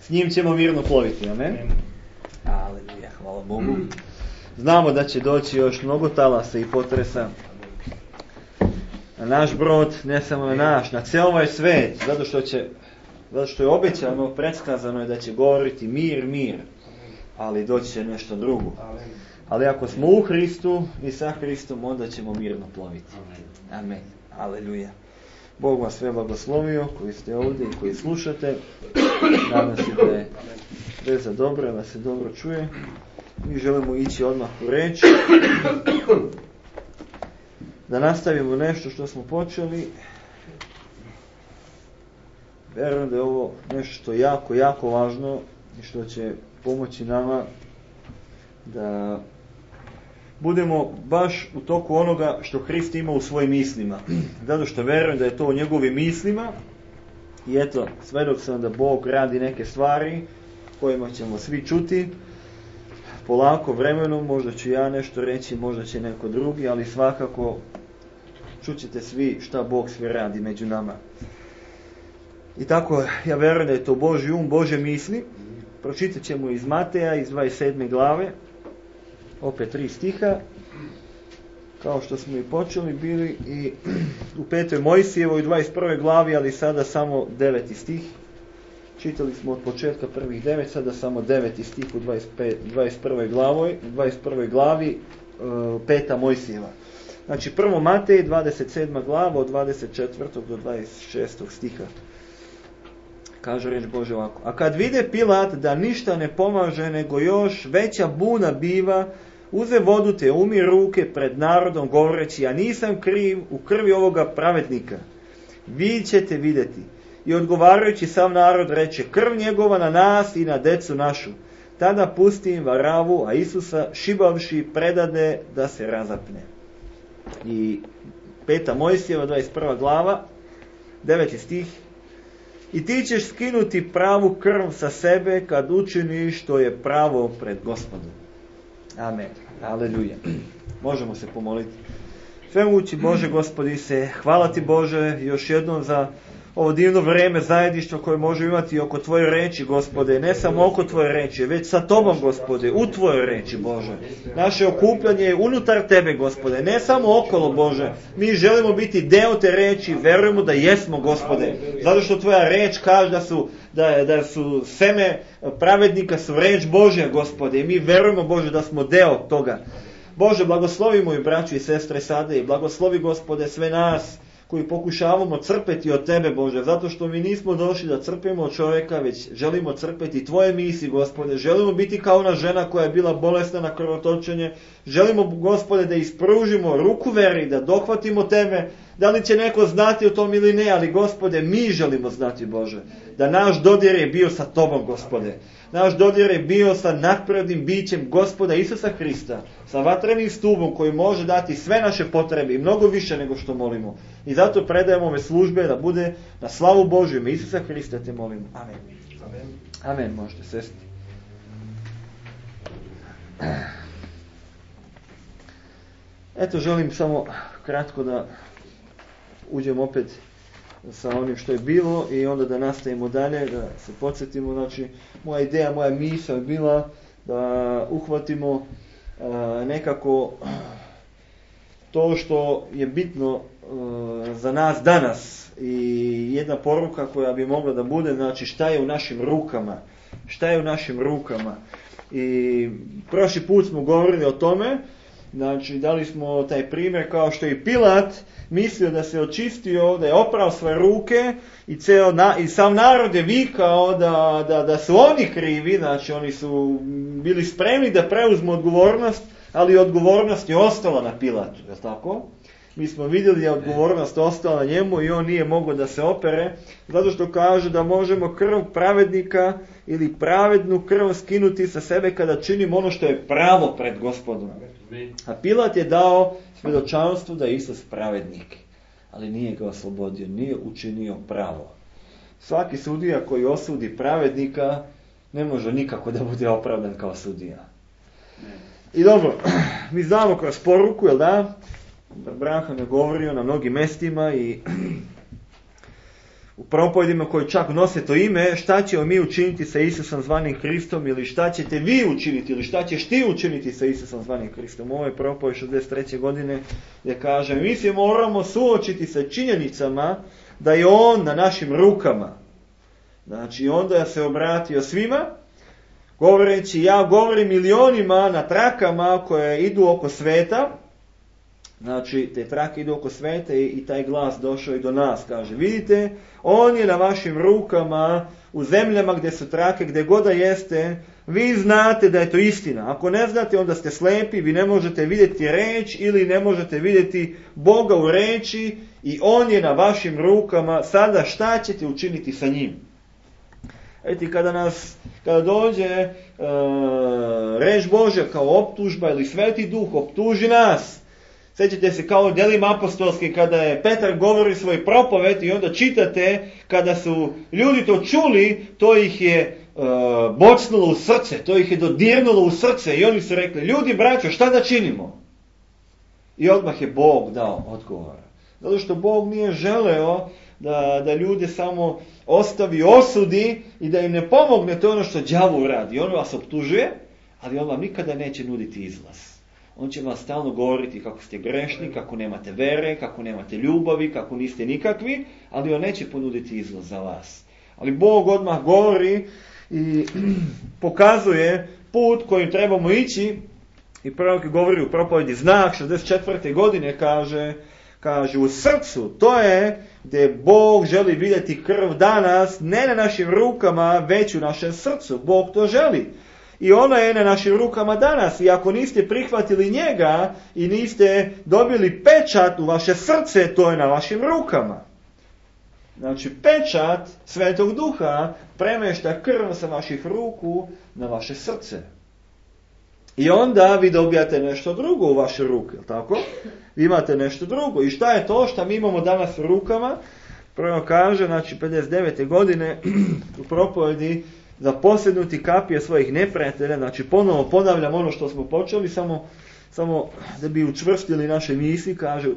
s njim ćemo mirno ploviti, amen? Aleluja, hvala Bogu. Znamo da će doći još mnogo talasa i potresa na naš brod, ne samo na naš, na cijel ovaj svet, zato što je obećano, predskazano je da će govoriti mir, mir, ali doći će nešto drugo. Ali ako smo u Hristu i sa Hristom, onda ćemo mirno ploviti. Amen. Aleluja. Bog vas sve blagoslovio, koji ste ovdje i koji slušate. Nadam se da je veza dobra, da se dobro čuje. Mi želimo ići odmah u reč. Da nastavimo nešto što smo počeli. Vjerujem da je ovo nešto što je jako, jako važno i što će pomoći nama da budemo baš u toku onoga što Hrist ima u svojim mislima. Zato što vjerujem da je to u njegovim mislima. I eto, svedok sam da Bog radi neke stvari kojima ćemo svi čuti. Polako vremenom, možda ću ja nešto reći, možda će neko drugi, ali svakako čućete svi šta Bog sve radi među nama. I tako, ja vjerujem da je to Božji um, Božje misli. Pročitat ćemo iz Mateja, iz 27. glave, opet 3 stiha, kao što smo i počeli bili, i u 5. Mojsijevoj 21. glavi, ali sada samo 9. stih. Čitali smo od početka prvih 9, sada samo 9. stih u 21. glavi 5. Mojsijeva. Znači, prvo Matej, 27. glava, od 24. do 26. stiha. Kaže reč Bože ovako. A kad vide Pilat da ništa ne pomaže, nego još veća buna biva, uze vodu te umi ruke pred narodom, govoreći, ja nisam kriv u krvi ovoga pravednika. Vi ćete vidjeti. I odgovarajući sav narod reče, krv njegova na nas i na decu našu. Tada pusti im Varavu, a Isusa šibavši predade da se razapne. I 5. Mojsijeva, 21. glava, 9. stih. I ti ćeš skinuti pravu krv sa sebe kad učiniš što je pravo pred Gospodom. Amen. Aleluja. Možemo se pomoliti. Svemogući Bože, Gospodi se, hvala ti Bože još jednom za ovo divno vrijeme zajedništva koje možemo imati oko tvoje reči, Gospode. Ne samo oko tvoje reči, već sa tobom, Gospode, u tvojoj reči, Bože. Naše okupljanje je unutar tebe, Gospode, ne samo okolo, Bože. Mi želimo biti deo te reči, verujemo da jesmo, Gospode. Zato što tvoja reč kaže da su seme pravednika su reč Božja, Gospode. I mi verujemo, Bože, da smo deo toga. Bože, blagoslovi moju braću i sestre sada i blagoslovi, Gospode, sve nas koji pokušavamo crpeti od tebe, Bože, zato što mi nismo došli da crpimo od čovjeka, već želimo crpeti tvoje misli, Gospode. Želimo biti kao ona žena koja je bila bolesna na krvotočenje. Želimo, Gospode, da ispružimo ruku veri, da dohvatimo tebe. Da li će neko znati o tom ili ne, ali, Gospode, mi želimo znati, Bože, da naš dodir je bio sa tobom, Gospode. Naš dodir je bio sa nadprirodnim bićem Gospoda Isusa Hrista, sa vatrenim stubom koji može dati sve naše potrebe i mnogo više nego što molimo. I zato predajemo ove službe da bude na slavu Božju, ime Isusa Hrista te molimo. Amen. Amen. Amen, možete sesti. Eto, želim samo kratko da uđemo opet sa onim što je bilo i onda da nastavimo dalje, da se podsjetimo. Znači, moja ideja, moja misao je bila da uhvatimo nekako to što je bitno za nas danas i jedna poruka koja bi mogla da bude, znači šta je u našim rukama. Šta je u našim rukama. I prošli put smo govorili o tome, znači dali smo taj primjer kao što je Pilat mislio da se očistio, da je oprao svoje ruke i sam narod je vikao da su oni krivi, znači oni su bili spremni da preuzmu odgovornost, ali odgovornost je ostala na Pilatu, je li tako? Mi smo vidjeli da je odgovornost ostala na njemu i on nije mogao da se opere, zato što kaže da možemo krv pravednika ili pravednu krv skinuti sa sebe kada činimo ono što je pravo pred Gospodom. A Pilat je dao svjedočanstvo da je Isus pravednik, ali nije ga oslobodio, nije učinio pravo. Svaki sudija koji osudi pravednika ne može nikako da bude opravdan kao sudija. I dobro, mi znamo kroz poruku, jel da? Branhan je govorio na mnogim mestima i u propovedima koji čak nose to ime, šta ćemo mi učiniti sa Isusom zvanim Hristom, ili šta ćete vi učiniti, ili šta ćeš ti učiniti sa Isusom zvanim Hristom. Ovo je propoved 63. godine gdje kaže, mi se moramo suočiti sa činjenicama da je on na našim rukama. Znači, onda se obratio svima, govoreći, ja govorim milionima na trakama koje idu oko sveta. Znači, te trake idu oko sveta i taj glas došao i do nas. Kaže, vidite, on je na vašim rukama, u zemljama gdje su trake, gdje god da jeste, vi znate da je to istina. Ako ne znate, onda ste slepi, vi ne možete vidjeti reč ili ne možete vidjeti Boga u reči i on je na vašim rukama. Sada šta ćete učiniti sa njim? Eti, kada dođe reč Božja kao optužba ili Sveti Duh optuži nas, sjećate se kao u djelima apostolskim kada je Petar govori svoj propoved i onda čitate kada su ljudi to čuli, to ih je bocnulo u srce, to ih je dodirnulo u srce i oni su rekli, ljudi braćo, šta da činimo? I odmah je Bog dao odgovor. Zato što Bog nije želeo da ljude samo ostavi, osudi i da im ne pomogne, to je ono što đavo radi. On vas optužuje, ali on vam nikada neće nuditi izlaz. On će vam stalno govoriti kako ste grešni, kako nemate vere, kako nemate ljubavi, kako niste nikakvi, ali on neće ponuditi izlaz za vas. Ali Bog odmah govori i pokazuje put kojim trebamo ići i prorok govori u propovedi Znak 64. godine kaže u srcu, to je gdje Bog želi vidjeti krv danas, ne na našim rukama, već u našem srcu. Bog to želi. I ona je na našim rukama danas. I ako niste prihvatili njega i niste dobili pečat u vaše srce, to je na vašim rukama. Znači, pečat Svetog Duha premješta krv sa vaših ruku na vaše srce. I onda vi dobijate nešto drugo u vaše ruke, jel tako? Vi imate nešto drugo. I šta je to što mi imamo danas u rukama? Prvo kaže, znači 59. godine u propovedi, za posjednuti kapije svojih neprijatelja, znači ponovo ponavljam ono što smo počeli, samo da bi učvrstili naše misli, kaže,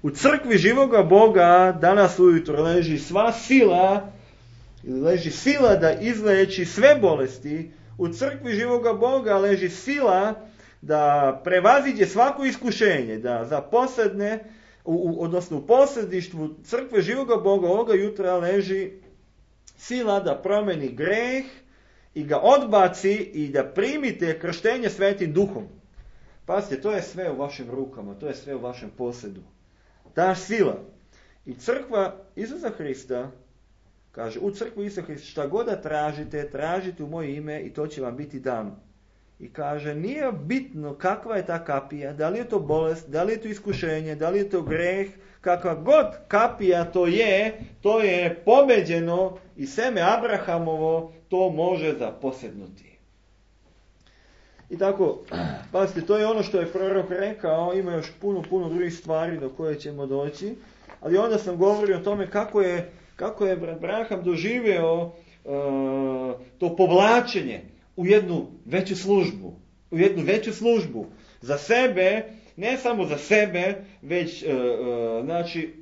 u crkvi živoga Boga danas ujutro leži sva sila, leži sila da izleči sve bolesti, u crkvi živoga Boga leži sila da prevaziđe svako iskušenje, da zaposedne, odnosno u posredništvu crkve živoga Boga ovoga jutra leži sila da promeni greh i ga odbaci i da primite krštenje Svetim Duhom. Pazite, to je sve u vašim rukama, to je sve u vašem posjedu. Ta sila. I crkva Isusa Hrista, kaže, u crkvu Isusa Hrista, šta god da tražite u moje ime i to će vam biti dano. I kaže, nije bitno kakva je ta kapija, da li je to bolest, da li je to iskušenje, da li je to greh, kakva god kapija to je pobeđeno i seme Abrahamovo to može zaposjednuti. I tako, pazite, to je ono što je prorok rekao, ima još puno drugih stvari do koje ćemo doći, ali onda sam govorio o tome kako je Abraham doživio to povlačenje u jednu veću službu. Za sebe, ne samo za sebe, već znači,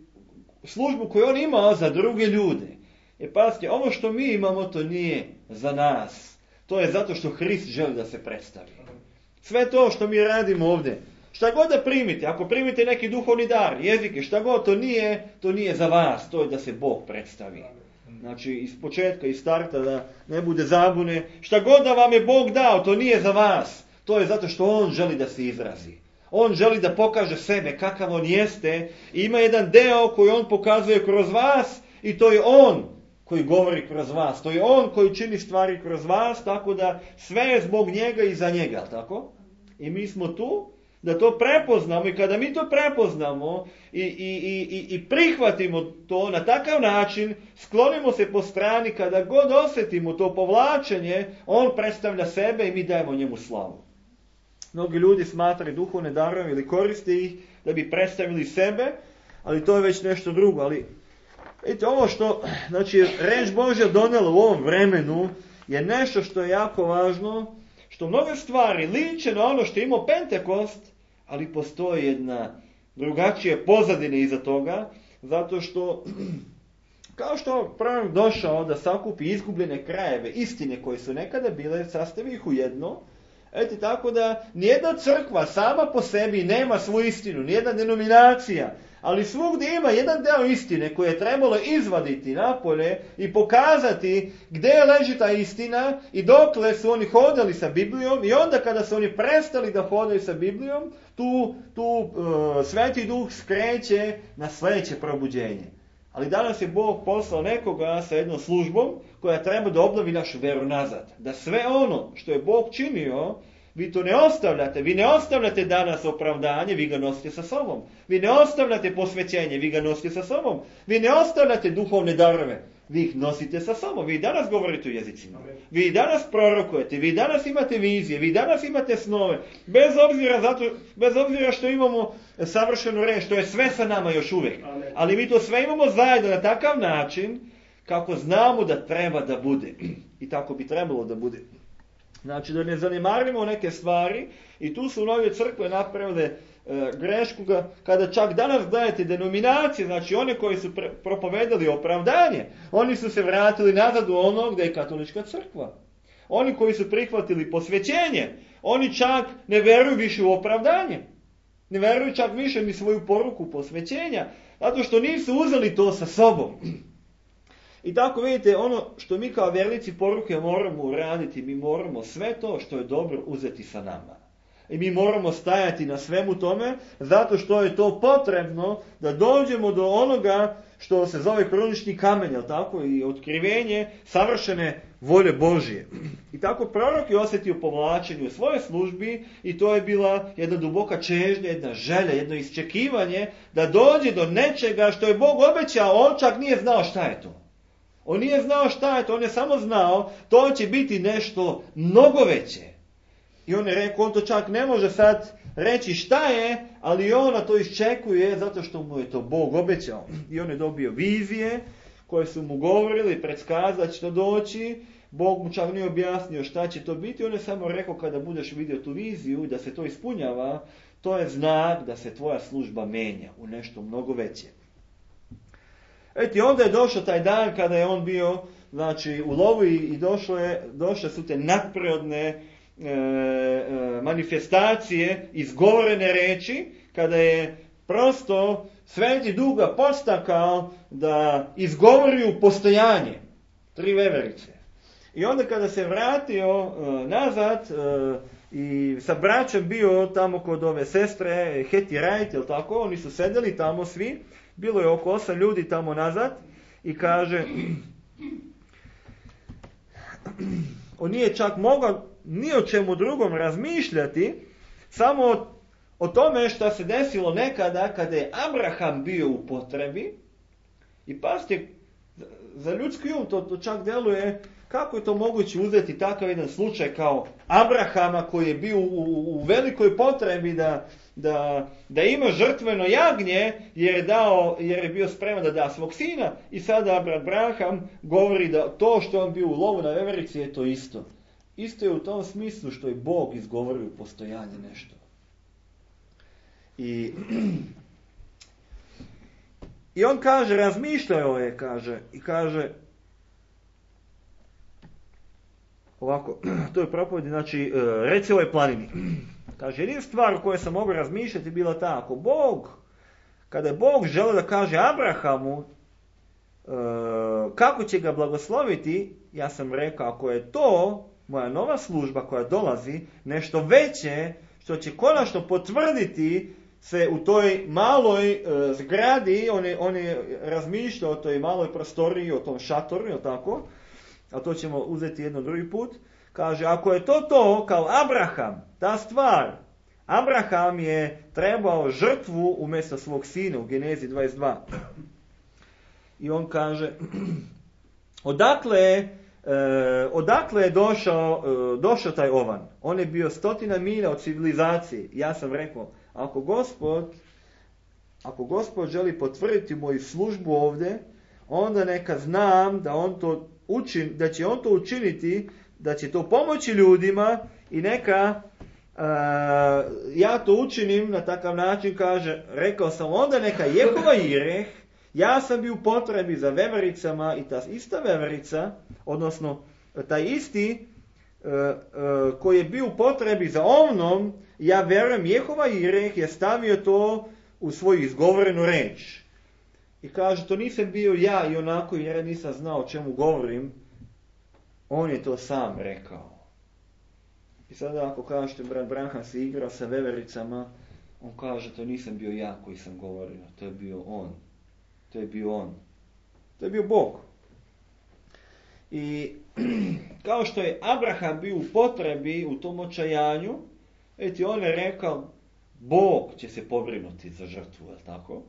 službu koju on imao za druge ljude. Pazite, ovo što mi imamo, to nije za nas. To je zato što Hrist želi da se predstavi. Sve to što mi radimo ovdje, šta god da primite, ako primite neki duhovni dar, jezike, šta god, to nije za vas, to je da se Bog predstavi. Znači, iz početka, iz starta, da ne bude zabune. Šta god da vam je Bog dao, to nije za vas. To je zato što On želi da se izrazi. On želi da pokaže sebe, kakav On jeste. I ima jedan deo koji On pokazuje kroz vas i to je On koji govori kroz vas. To je On koji čini stvari kroz vas, tako da sve je zbog njega i za njega, tako? I mi smo tu da to prepoznamo i kada mi to prepoznamo i prihvatimo to na takav način, sklonimo se po strani, kada god osjetimo to povlačenje, on predstavlja sebe i mi dajemo njemu slavu. Mnogi ljudi smatraju duhovne darove ili koriste ih da bi predstavili sebe, ali to je već nešto drugo. Ali vidite, ovo što, znači, reč Božja donela u ovom vremenu je nešto što je jako važno, što mnoge stvari liče na ono što je imao Pentekost, ali postoji jedna drugačija pozadina iza toga, zato što Kao što prorok došao da sakupi izgubljene krajeve, istine koje su nekada bile, sastavi ih u jedno. Eto, tako da nijedna crkva sama po sebi nema svoju istinu, nijedna denominacija, ali svugdje ima jedan deo istine koje je trebalo izvaditi napolje i pokazati gdje leži ta istina i dokle su oni hodali sa Biblijom, i onda kada su oni prestali da hodaju sa Biblijom, tu Sveti Duh skreće na sljedeće probuđenje. Ali danas je Bog poslao nekoga sa jednom službom koja treba da obnovi našu veru nazad. Da sve ono što je Bog činio, vi to ne ostavljate. Vi ne ostavljate danas opravdanje, vi ga nosite sa sobom. Vi ne ostavljate posvećenje, vi ga nosite sa sobom. Vi ne ostavljate duhovne darove, vi ih nosite sa sobom. Vi danas govorite u jezicima. Vi danas prorokujete, vi danas imate vizije, vi danas imate snove. Bez obzira što imamo savršenu reč, što je sve sa nama još uvijek. Ali mi to sve imamo zajedno na takav način kako znamo da treba da bude. I tako bi trebalo da bude. Znači da ne zanemarimo neke stvari, i tu su nove crkve napravile grešku kada čak danas gledate denominacije, znači one koji su propovedali opravdanje, oni su se vratili nazad u ono gdje je katolička crkva. Oni koji su prihvatili posvećenje, oni čak ne vjeruju više u opravdanje. Ne vjeruju čak više ni svoju poruku posvećenja, zato što nisu uzeli to sa sobom. I tako vidite, ono što mi kao vjernici poruke moramo uraditi, mi moramo sve to što je dobro uzeti sa nama. I mi moramo stajati na svemu tome, zato što je to potrebno da dođemo do onoga što se zove krunični kamen, jel tako, i otkrivenje savršene volje Božje. I tako prorok je osjetio povlačenje u svojoj službi, i to je bila jedna duboka čežnja, jedna želja, jedno iščekivanje da dođe do nečega što je Bog obećao, on čak nije znao šta je to. On nije znao šta je to, on je samo znao, to će biti nešto mnogo veće. I on je rekao, on to čak ne može sad reći šta je, ali on na to iščekuje zato što mu je to Bog obećao. I on je dobio vizije koje su mu govorili, predskazat će to doći. Bog mu čak nije objasnio šta će to biti, on je samo rekao, kada budeš vidio tu viziju da se to ispunjava, to je znak da se tvoja služba menja u nešto mnogo veće. Eto, i onda je došao taj dan kada je on bio, znači, u lovu, i došle su te nadprirodne manifestacije, izgovorene reči, kada je prosto Sveti Duh ga podstakao da izgovori u postojanje 3 veverice. I onda kada se vratio nazad i sa braćom bio tamo kod ove sestre Heti Wright, jel tako, oni su sedeli tamo svi, bilo je oko 8 ljudi tamo nazad, i kaže, on nije čak mogao ni o čemu drugom razmišljati, samo o tome što se desilo nekada kada je Abraham bio u potrebi. I pazite, za ljudski um to čak deluje, kako je to moguće uzeti takav jedan slučaj kao Abrahama koji je bio u velikoj potrebi da ima žrtveno jagnje, jer je bio spreman da da svog sina, i sada Abraham govori da to što on bio u lovu na veverici je to isto. Isto je u tom smislu što je Bog izgovorio u postojanje nešto. I on kaže, razmišljao je, kaže ovako, to je propovedi, znači, reci ovoj planini. Kaže, jedina stvar o kojoj sam mogao razmišljati bila ta, kada je Bog želeo da kaže Abrahamu kako će ga blagosloviti, ja sam rekao, ako je to moja nova služba koja dolazi, nešto veće, što će konačno potvrditi se u toj maloj zgradi, on je razmišljao o toj maloj prostoriji, o tom šatoru, je tako? A to ćemo uzeti jedno drugi put. Kaže, ako je to kao Abraham, ta stvar, Abraham je trebao žrtvu umjesto svog sina u Genezi 22. I on kaže, odakle je došao taj ovan? On je bio 100 milja od civilizacije. Ja sam rekao, ako Gospod želi potvrditi moju službu ovdje, onda neka znam da će on to učiniti, da će to pomoći ljudima, i neka ja to učinim na takav način, kaže, rekao sam, onda neka Jehova Jireh Ja sam bio u potrebi za vevericama i ta ista veverica, odnosno taj isti koji je bio u potrebi za ovnom, ja verujem, Jehova Jireh je stavio to u svoju izgovorenu reč. I kaže, to nisam bio ja i onako jer ja nisam znao o čemu govorim, on je to sam rekao. I sada ako kažete, brat Branham se igrao sa vevericama, on kaže, to nisam bio ja koji sam govorio, to je bio on. To je bio on. To je bio Bog. I kao što je Abraham bio u potrebi u tom očajanju, on je rekao, Bog će se pobrinuti za žrtvu, je li tako?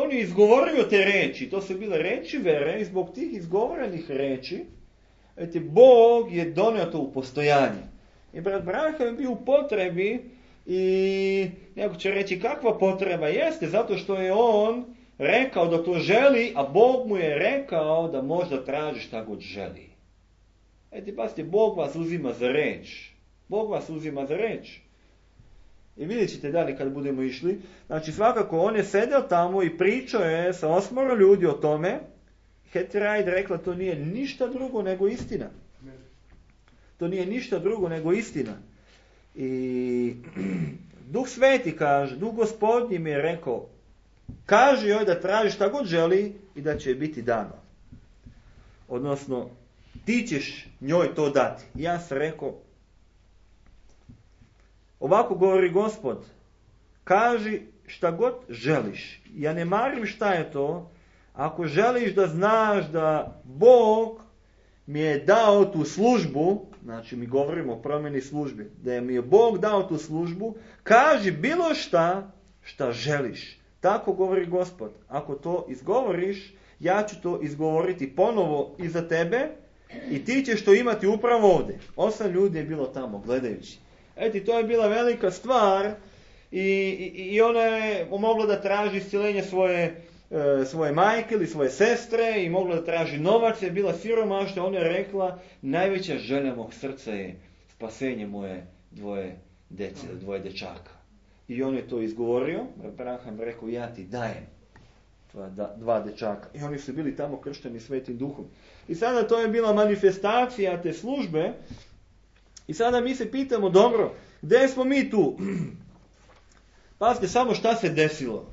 On je izgovorio te reči, to su bile reči vere, i zbog tih izgovorenih reči, Bog je donio to u postojanje. I brat Branham je bio u potrebi i neko će reći kakva potreba jeste, zato što je on rekao da to želi, a Bog mu je rekao da možda traži šta god želi. Pazite, Bog vas uzima za reč. Bog vas uzima za reč. I vidjet ćete dalje kad budemo išli. Znači svakako on je sedeo tamo i pričao je sa 8 ljudi o tome. Hetty Wright rekla to nije ništa drugo nego istina. To nije ništa drugo nego istina. I Duh Sveti kaže, Duh Gospodnji mi je rekao, kaži joj da traži šta god želi i da će joj biti dano. Odnosno, ti ćeš njoj to dati. Ja sam rekao, ovako govori Gospod, kaži šta god želiš. Ja ne marim šta je to. Ako želiš da znaš da Bog mi je dao tu službu, znači mi govorimo o promjeni službi, da mi je Bog dao tu službu, kaži bilo šta želiš. Tako govori Gospod. Ako to izgovoriš, ja ću to izgovoriti ponovo i za tebe i ti ćeš to imati upravo ovdje. 8 ljudi je bilo tamo gledajući. To je bila velika stvar i ona je mogla da traži iscjeljenje svoje majke ili svoje sestre i mogla da traži novac, je bila siromašna. Ona je rekla, najveća želja mog srca je spasenje moje dvoje dečaka. I on je to izgovorio, Branham rekao, ja ti dajem 2 dečaka. I oni su bili tamo kršteni Svetim Duhom. I sada to je bila manifestacija te službe. I sada mi se pitamo, dobro, gdje smo mi tu? Pazite samo šta se desilo.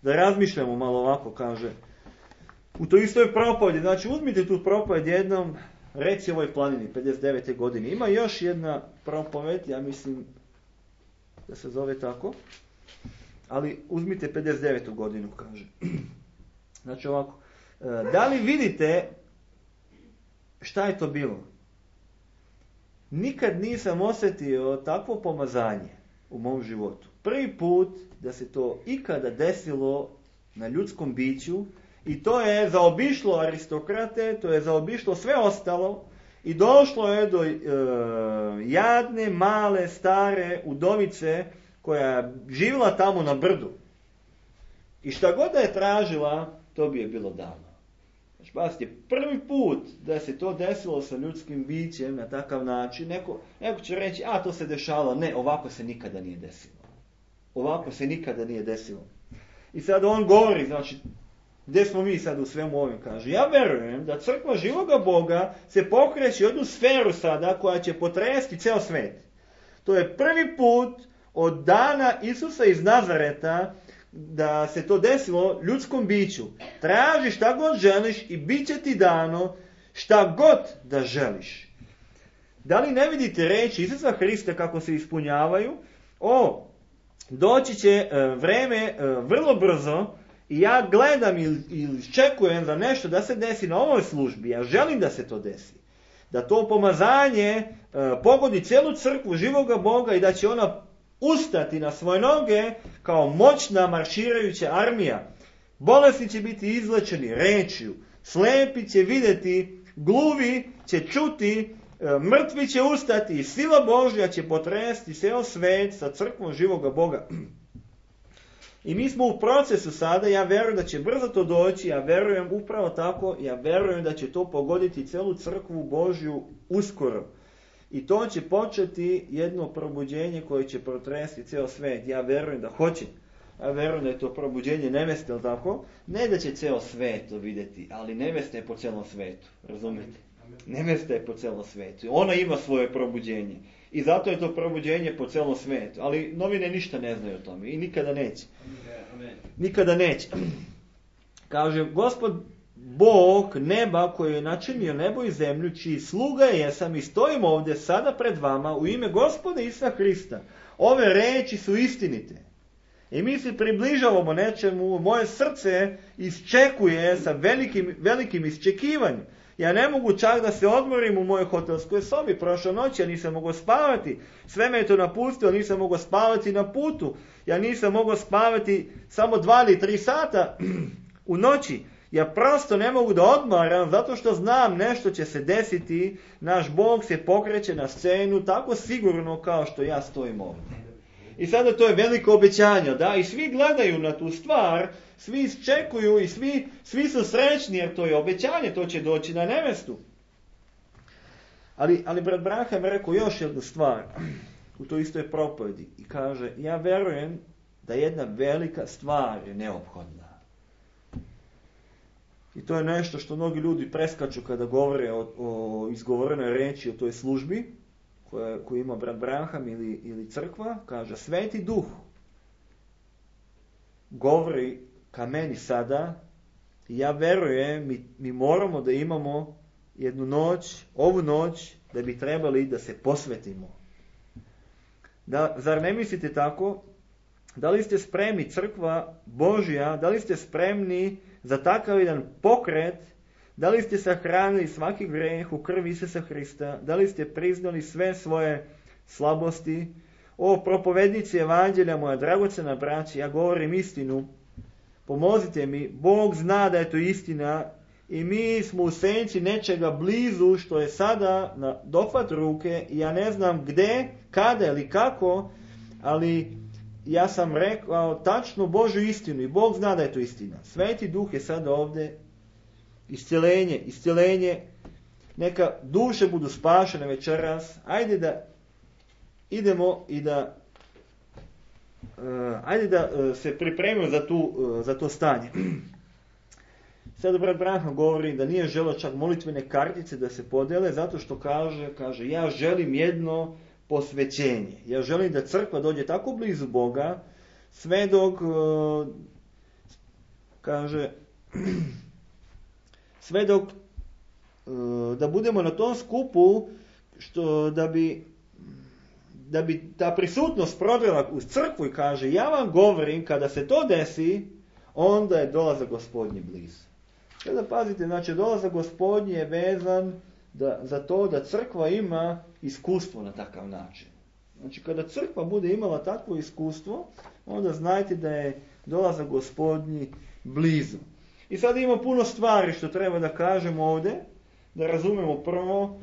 Da razmišljamo malo ovako, kaže. U toj istoj propovedi, znači uzmite tu propoved jednom, reci ovoj planini, 59. godine. Ima još jedna propoved, ja mislim da se zove tako, ali uzmite 59. godinu, kaže. Znači ovako, da li vidite šta je to bilo? Nikad nisam osjetio takvo pomazanje u mom životu. Prvi put da se to ikada desilo na ljudskom biću i to je zaobišlo aristokrate, to je zaobišlo sve ostalo i došlo je do jadne, male, stare udovice koja je živjela tamo na brdu. I šta god da je tražila, to bi je bilo dano. Znači, pazite, prvi put da se to desilo sa ljudskim bićem na takav način, neko će reći, to se dešavalo. Ne, ovako se nikada nije desilo. Ovako se nikada nije desilo. I sad on govori, znači, gdje smo mi sad u svemu ovim, kaže, ja verujem da crkva živoga Boga se pokreće u jednu sferu sada koja će potresti ceo svet. To je prvi put od dana Isusa iz Nazareta da se to desilo ljudskom biću. Traži šta god želiš i bit će ti dano šta god da želiš. Da li ne vidite reči Isusa Hrista kako se ispunjavaju? Doći će vreme vrlo brzo i ja gledam ili čekujem za nešto da se desi na ovoj službi. Ja želim da se to desi. Da to pomazanje pogodi cijelu crkvu živoga Boga i da će ona ustati na svoje noge kao moćna marširajuća armija. Bolesni će biti izlečeni rečju, slepi će vidjeti, gluvi će čuti, mrtvi će ustati i sila Božja će potresti ceo svet sa crkvom živoga Boga. I mi smo u procesu sada, ja verujem da će brzo to doći, ja verujem upravo tako, ja verujem da će to pogoditi celu crkvu Božju uskoro. I to će početi jedno probuđenje koje će protresti ceo svet. Ja verujem da hoće. Ja verujem da je to probuđenje neveste, ali tako? Ne da će ceo svet to vidjeti, ali nevesta je po celom svetu, razumijete? Nevesta je po celom svetu. Ona ima svoje probuđenje. I zato je to probuđenje po celom svetu. Ali novine ništa ne znaju o tome i nikada neće. Nikada neće. Kaže, Gospod Bog neba koji je načinio nebo i zemlju, čiji sluga jesam i stojim ovdje sada pred vama u ime Gospoda Isusa Hrista. Ove reči su istinite. I mi se približavamo nečemu, moje srce iščekuje sa velikim iščekivanjem. Ja ne mogu čak da se odmorim u mojoj hotelskoj sobi. Prošle noći ja nisam mogao spavati. Sve me je to napustilo, nisam mogao spavati na putu. Ja nisam mogao spavati samo 2 ili 3 sata u noći. Ja prosto ne mogu da odmaram zato što znam nešto će se desiti. Naš Bog se pokreće na scenu tako sigurno kao što ja stojim ovdje. I sada to je veliko obećanje, da? I svi gledaju na tu stvar, svi iščekuju i svi su srećni jer to je obećanje, to će doći na nevestu. Ali brat Branham je rekao još jednu stvar u toj istoj propovedi i kaže, ja verujem da jedna velika stvar je neophodna. I to je nešto što mnogi ljudi preskaču kada govore o izgovorenoj reči o toj službi koju ima brat Branham ili crkva. Kaže, Sveti Duh govori ka meni sada i ja verujem, mi moramo da imamo jednu noć, ovu noć, da bi trebali da se posvetimo. Zar ne mislite tako? Da li ste spremni, crkva Božja, da li ste spremni za takav jedan pokret? Da li ste sahranili svaki greh u krvi Isusa Hrista? Da li ste priznali sve svoje slabosti? O propovednici evanđelja, moja dragocena braća, ja govorim istinu. Pomozite mi, Bog zna da je to istina i mi smo u senci nečega blizu što je sada na dohvat ruke i ja ne znam gde, kada ili kako, ali ja sam rekao tačno Božju istinu i Bog zna da je to istina. Sveti Duh je sada ovdje. Iscjeljenje, neka duše budu spašene večeras. Ajde da idemo i da se pripremimo za to stanje. Sada brat Branham govori da nije želeo čak molitvene kartice da se podele, zato što kaže ja želim jedno posvećenje. Ja želim da crkva dođe tako blizu Boga, sve dok da budemo na tom skupu da bi ta prisutnost prodrela uz crkvu i kaže, ja vam govorim, kada se to desi, onda je dolazak Gospodnji blizu. Sada pazite, znači dolazak Gospodnji je vezan za to da crkva ima iskustvo na takav način. Znači kada crkva bude imala takvo iskustvo, onda znajte da je dolazak Gospodnji blizu. I sad ima puno stvari što treba da kažemo ovdje, da razumemo prvo.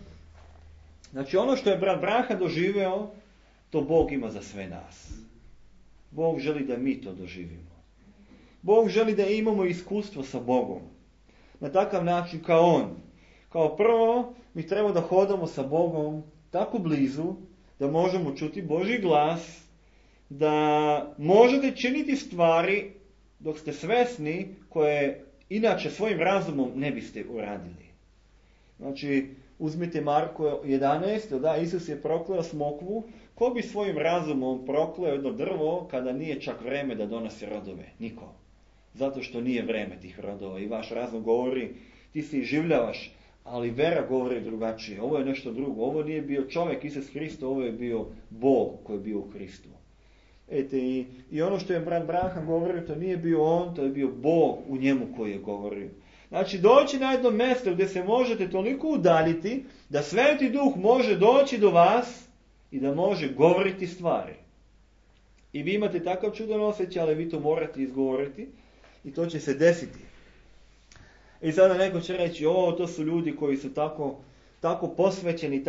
Znači ono što je brat Branham doživeo, to Bog ima za sve nas. Bog želi da mi to doživimo. Bog želi da imamo iskustvo sa Bogom. Na takav način kao On. Kao prvo, mi treba da hodamo sa Bogom tako blizu, da možemo čuti Božji glas, da možete činiti stvari dok ste svesni koje inače svojim razumom ne biste uradili. Znači, uzmite Marko 11, da, Isus je prokleo smokvu. Ko bi svojim razumom prokleo jedno drvo kada nije čak vreme da donosi rodove? Niko. Zato što nije vreme tih rodova i vaš razum govori, ti se iživljavaš, ali vera govori drugačije. Ovo je nešto drugo. Ovo nije bio čovjek Isus Hristo, ovo je bio Bog koji je bio u Hristu. I ono što je brat Branham govorio, to nije bio on, to je bio Bog u njemu koji je govorio. Znači doći na jedno mjesto gdje se možete toliko udaljiti da Sveti Duh može doći do vas i da može govoriti stvari. I vi imate takav čudan osjećaj, ali vi to morate izgovoriti i to će se desiti. I sada neko će reći, to su ljudi koji su tako posvećeni,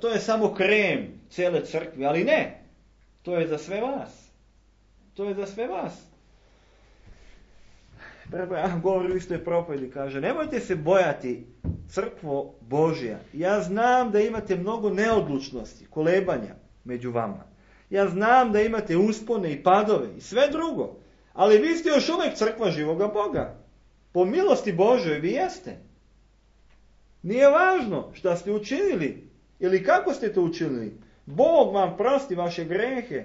to je samo krem cijele crkve, ali ne. To je za sve vas. To je za sve vas. Ja govorim u istoj propovedi, kaže, nemojte se bojati, crkvo Božja. Ja znam da imate mnogo neodlučnosti, kolebanja među vama. Ja znam da imate uspone i padove i sve drugo. Ali vi ste još uvijek crkva živoga Boga. Po milosti Božoj vi jeste. Nije važno šta ste učinili ili kako ste to učinili. Bog vam prosti vaše grehe.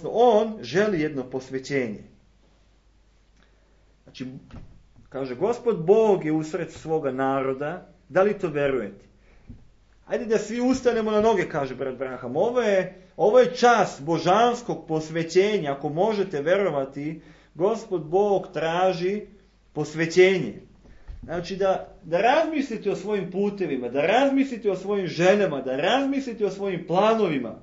On želi jedno posvećenje. Znači, kaže, Gospod Bog je usred svoga naroda. Da li to verujete? Ajde da svi ustanemo na noge, kaže brat Branham. Ovo je čas božanskog posvećenja. Ako možete verovati, Gospod Bog traži posvećenje. Znači da razmislite o svojim putevima, da razmislite o svojim željama, da razmislite o svojim planovima.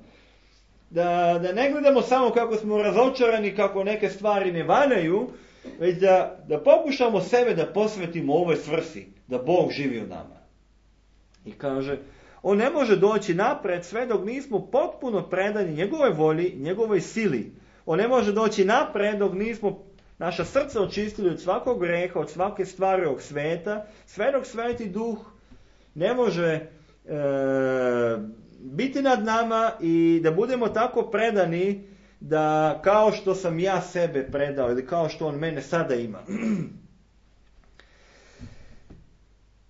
Da ne gledamo samo kako smo razočarani, kako neke stvari ne valjaju, već da pokušamo sebe da posvetimo ovoj svrsi, da Bog živi u nama. I kaže, on ne može doći napred sve dok nismo potpuno predani njegovoj volji, njegovoj sili. On ne može doći napred dok nismo naša srca očistili od svakog greha, od svake stvari ovog sveta, sve dok Sveti Duh ne može biti nad nama i da budemo tako predani da kao što sam ja sebe predao ili kao što on mene sada ima.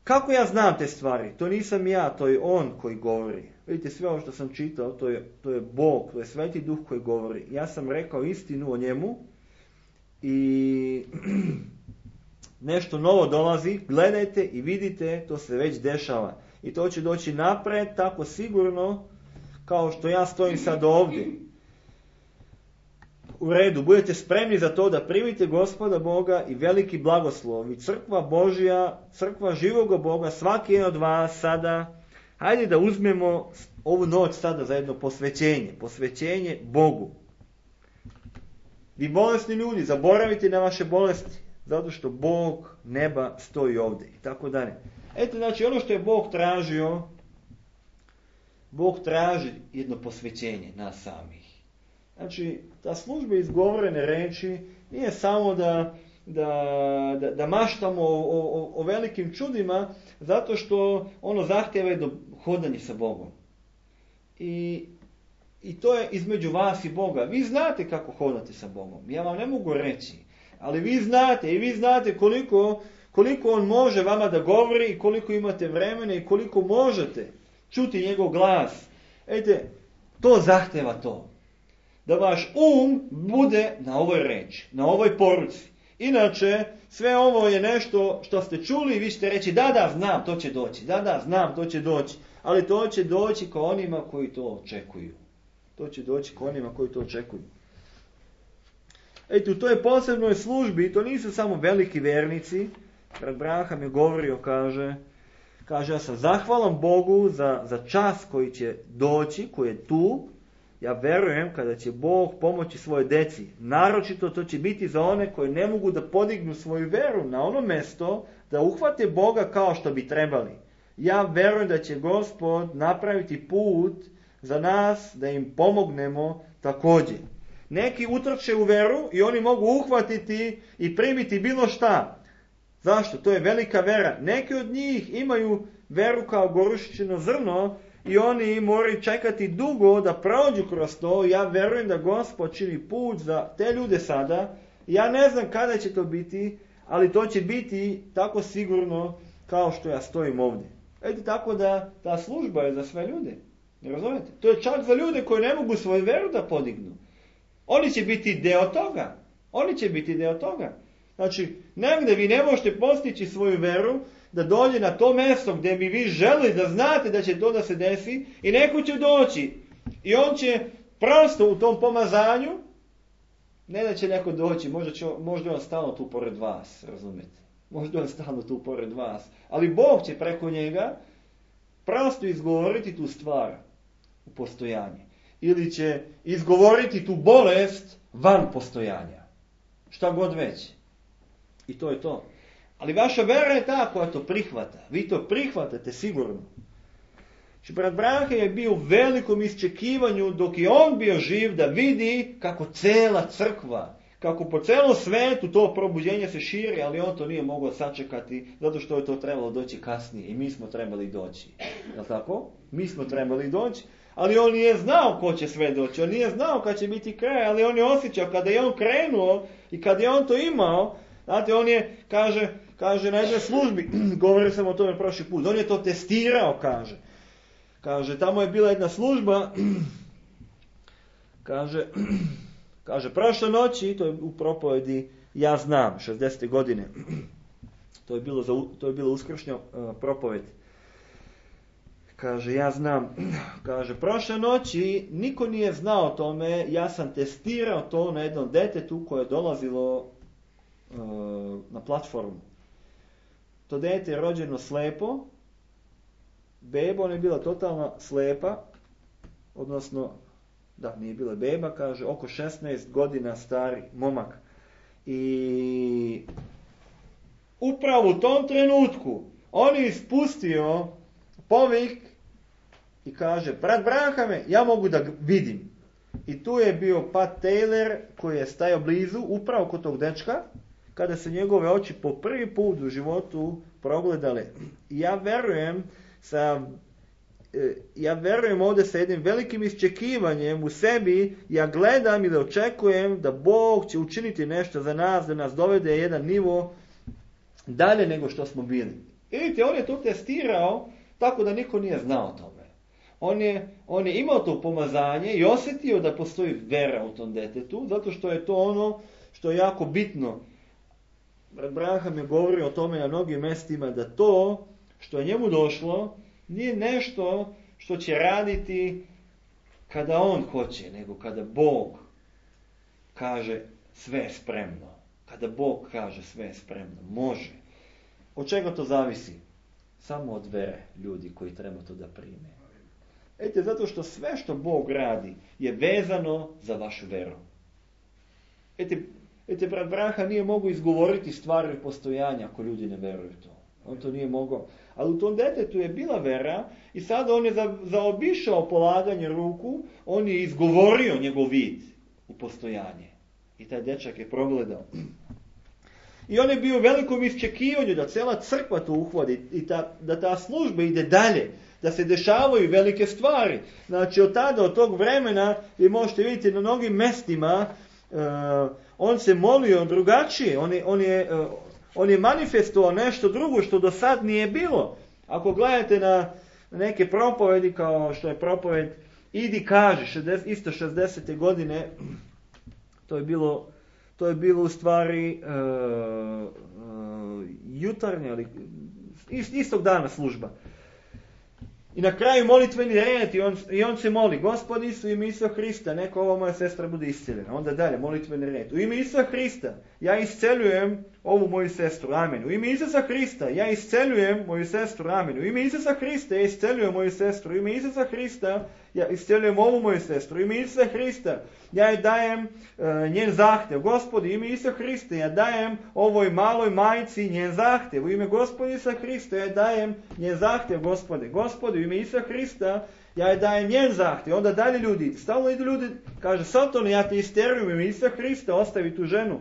Kako ja znam te stvari? To nisam ja, to je on koji govori. Vidite, sve ovo što sam čitao, to je Bog, to je Sveti Duh koji govori. Ja sam rekao istinu o njemu i nešto novo dolazi, gledajte i vidite, to se već dešava. I to će doći napred tako sigurno kao što ja stojim sad ovdje. U redu, budete spremni za to da primite Gospoda Boga i veliki blagoslov. I crkva Božja, crkva živoga Boga, svaki jedan od vas sada, hajde da uzmemo ovu noć sada za jedno posvećenje. Posvećenje Bogu. Vi bolesni ljudi, zaboravite na vaše bolesti, zato što Bog neba stoji ovdje i tako dalje. Eto, znači, ono što je Bog tražio, Bog traži jedno posvećenje nas samih. Znači, ta služba izgovorene reči nije samo da maštamo o velikim čudima, zato što ono zahtjeva jedno hodanje sa Bogom. I to je između vas i Boga. Vi znate kako hodate sa Bogom. Ja vam ne mogu reći. Ali vi znate i vi znate koliko on može vama da govori i koliko imate vremena i koliko možete čuti njegov glas. Ejte, to zahtjeva to. Da vaš bude na ovoj reči, na ovoj poruci. Inače, sve ovo je nešto što ste čuli i vi ćete reći da, znam, to će doći. Da, znam, to će doći. Ali to će doći ka onima koji to očekuju. To će doći k onima koji to očekuju. Eto, u toj posebnoj službi, to nisu samo veliki vernici. Brat Branham je govorio, kaže, ja sam zahvalan Bogu za čas koji će doći, koji je tu. Ja verujem kada će Bog pomoći svoje deci. Naročito to će biti za one koji ne mogu da podignu svoju veru na ono mjesto, da uhvate Boga kao što bi trebali. Ja verujem da će Gospod napraviti put za nas, da im pomognemo također. Neki utrče u veru i oni mogu uhvatiti i primiti bilo šta. Zašto? To je velika vera. Neki od njih imaju veru kao gorušičino zrno i oni moraju čekati dugo da prođu kroz to. Ja verujem da Gospod čini put za te ljude sada. Ja ne znam kada će to biti, ali to će biti tako sigurno kao što ja stojim ovdje. Eto, tako da ta služba je za sve ljude. Ne razumijete? To je čak za ljude koji ne mogu svoju veru da podignu. Oni će biti dio toga. Znači, negdje vi ne možete postići svoju veru da dođe na to mjesto gdje bi vi želi da znate da će to da se desi i neko će doći. I on će prosto u tom pomazanju, ne da će neko doći, možda on stalno tu pored vas, razumijete? Možda on stalno tu pored vas. Ali Bog će preko njega prosto izgovoriti tu stvar u postojanje. Ili će izgovoriti tu bolest van postojanja. Šta god već. I to je to. Ali vaša vera je ta koja to prihvata. Vi to prihvatate sigurno. Znači, brat Branham je bio u velikom iščekivanju dok je on bio živ da vidi kako cela crkva, kako po celom svetu to probuđenje se širi, ali on to nije mogao sačekati, zato što je to trebalo doći kasnije i mi smo trebali doći. Je li tako? Mi smo trebali doći, ali on nije znao ko će sve doći, on nije znao kad će biti kraj, ali on je osjećao kada je on krenuo i kada je on to imao, znate, on je, kaže na jednoj službi, govorio sam o tome prošli put, on je to testirao, kaže, tamo je bila jedna služba, kaže, prošle noći, to je u propovedi Ja znam, 60. godine, to je bilo uskršnja propoved. Kaže, ja znam, kaže, prošle noći niko nije znao o tome, ja sam testirao to na jednom detetu koje je dolazilo na platformu. To dete je rođeno slepo, beba, ona je bila totalno slepa, odnosno, da, nije bila beba, kaže, oko 16 godina stari momak. I upravo u tom trenutku on je ispustio povik i kaže, brat Branhame, ja mogu da vidim. I tu je bio Pat Taylor koji je stajao blizu, upravo kod tog dečka, kada se njegove oči po prvi put u životu progledale. I ja verujem ovdje sa jednim velikim iščekivanjem u sebi, ja gledam i da očekujem da Bog će učiniti nešto za nas, da nas dovede jedan nivo dalje nego što smo bili. Vidite, on je to testirao tako da niko nije znao o tome. On je imao to pomazanje i osjetio da postoji vera u tom detetu, zato što je to ono što je jako bitno. Brat Branham je govorio o tome na mnogim mjestima, da to što je njemu došlo nije nešto što će raditi kada on hoće, nego kada Bog kaže sve je spremno. Kada Bog kaže sve je spremno, može. Od čega to zavisi? Samo od vere ljudi koji treba to da prime. Ete, zato što sve što Bog radi je vezano za vašu veru. Ete, brat Branham nije mogao izgovoriti stvari postojanja ako ljudi ne veruju to. On to nije mogao. Ali u tom detetu je bila vera i sada on je zaobišao polaganje ruku, on je izgovorio njegov vid u postojanje. I taj dečak je progledao. I on je bio u velikom iščekivanju da cela crkva to uhvati i da ta služba ide dalje, da se dešavaju velike stvari. Znači od tog vremena vi možete vidjeti na mnogim mestima on se molio drugačije, on je manifestovao nešto drugo što do sad nije bilo. Ako gledate na neke propovedi kao što je propoved Idi kaži, isto 60. godine, to je bilo u stvari jutarnja, ali istog dana služba. I na kraju molitveni red i on se moli, Gospod Isu, ime Isusa Hrista, neka ova moja sestra bude isceljena. Onda dalje, molitveni red. U ime Isusa Hrista, ja isceljujem ovu moju sestru, amen. U ime Isusa Hrista, ja isceljujem moju sestru, amen. U ime Isusa Hrista, ja isceljujem moju sestru. U ime Isusa Hrista, ja isceljujem ovu moju sestru. U ime Isusa Hrista, ja joj dajem njen zahtev. Gospodi, u ime Isusa Hrista, ja dajem ovoj maloj majci njen zahtev. U ime Gospoda Isusa Hrista, ja dajem njen zahtev, Gospode. Gospodi, u ime Isusa Hrista, ja joj dajem njen zahtev. Onda dalje ljudi, stalno idu ljudi, kaže, Satone, ja te isterujem u ime Isusa Hrista, ostavi tu ženu.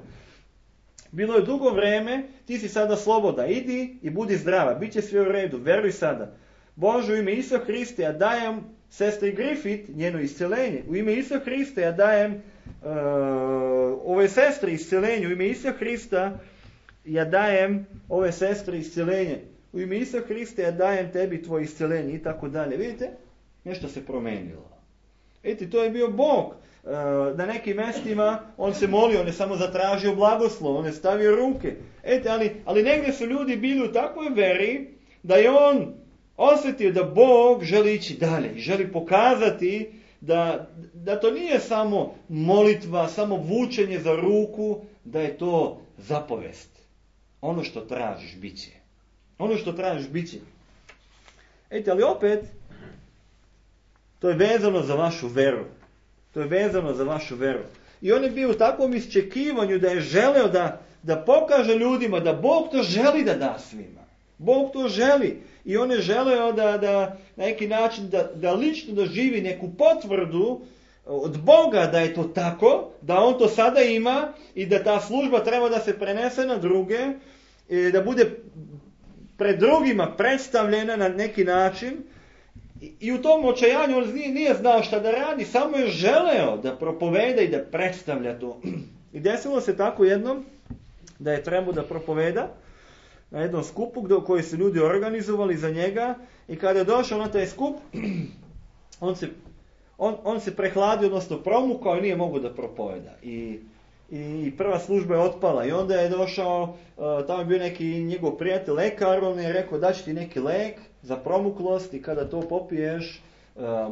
Bilo je dugo vreme, ti si sada sloboda, idi i budi zdrava, bit će sve u redu, veruj sada. Bože, u ime Isusa Hrista, ja dajem sestri Griffith njeno isceljenje. U ime Isusa Hrista ja dajem ove sestre isceljenje. U ime Isusa Hrista ja dajem ove sestre isceljenje. U ime Isusa Hrista ja dajem tebi tvoje isceljenje i tako dalje. Vidite? Nešto se promenilo. Vidite, to je bio Bog. Na nekim mjestima on se molio, on je samo zatražio blagoslov, on je stavio ruke. Ali negdje su ljudi bili u takvoj veri da je on osjetio da Bog želi ići dalje i želi pokazati da to nije samo molitva, samo vučenje za ruku, da je to zapovest. Ono što tražiš bit će. Ono što tražiš bit će. Ali opet, to je vezano za vašu veru. To je vezano za vašu veru. I on je bio u takvom iščekivanju da je želeo da pokaže ljudima da Bog to želi da da svima. Bog to želi. I on je želeo da na neki način da lično doživi neku potvrdu od Boga da je to tako, da on to sada ima i da ta služba treba da se prenese na druge, da bude pred drugima predstavljena na neki način. I u tom očajanju on nije znao šta da radi, samo je želeo da propoveda i da predstavlja to. I desilo se tako jednom da je trebao da propoveda na jednom skupu koji su ljudi organizovali za njega, i kada je došao na taj skup, on se prehladio, odnosno promukao i nije mogao da propoveda. I prva služba je otpala i onda je došao, tamo je bio neki njegov prijatelj lekar, on je rekao daći ti neki lek za promuklost i kada to popiješ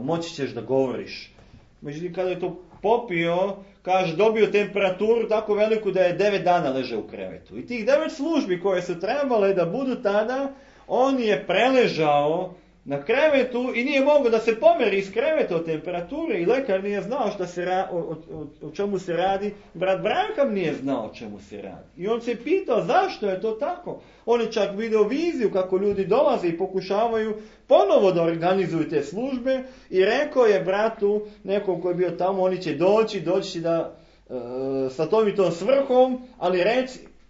moći ćeš da govoriš. Međutim, kada je to popio, kaže, dobio temperaturu tako veliku da je 9 dana ležao u krevetu. I tih 9 službi koje su trebale da budu tada, on je preležao na krevetu i nije mogao da se pomeri iz kreveta od temperature i lekar nije znao o čemu se radi. Brat Branham nije znao o čemu se radi. I on se pitao zašto je to tako. On je čak video viziju kako ljudi dolaze i pokušavaju ponovo da organizuju te službe i rekao je bratu, nekom koji je bio tamo, oni će doći da sa tom i tom svrhom, ali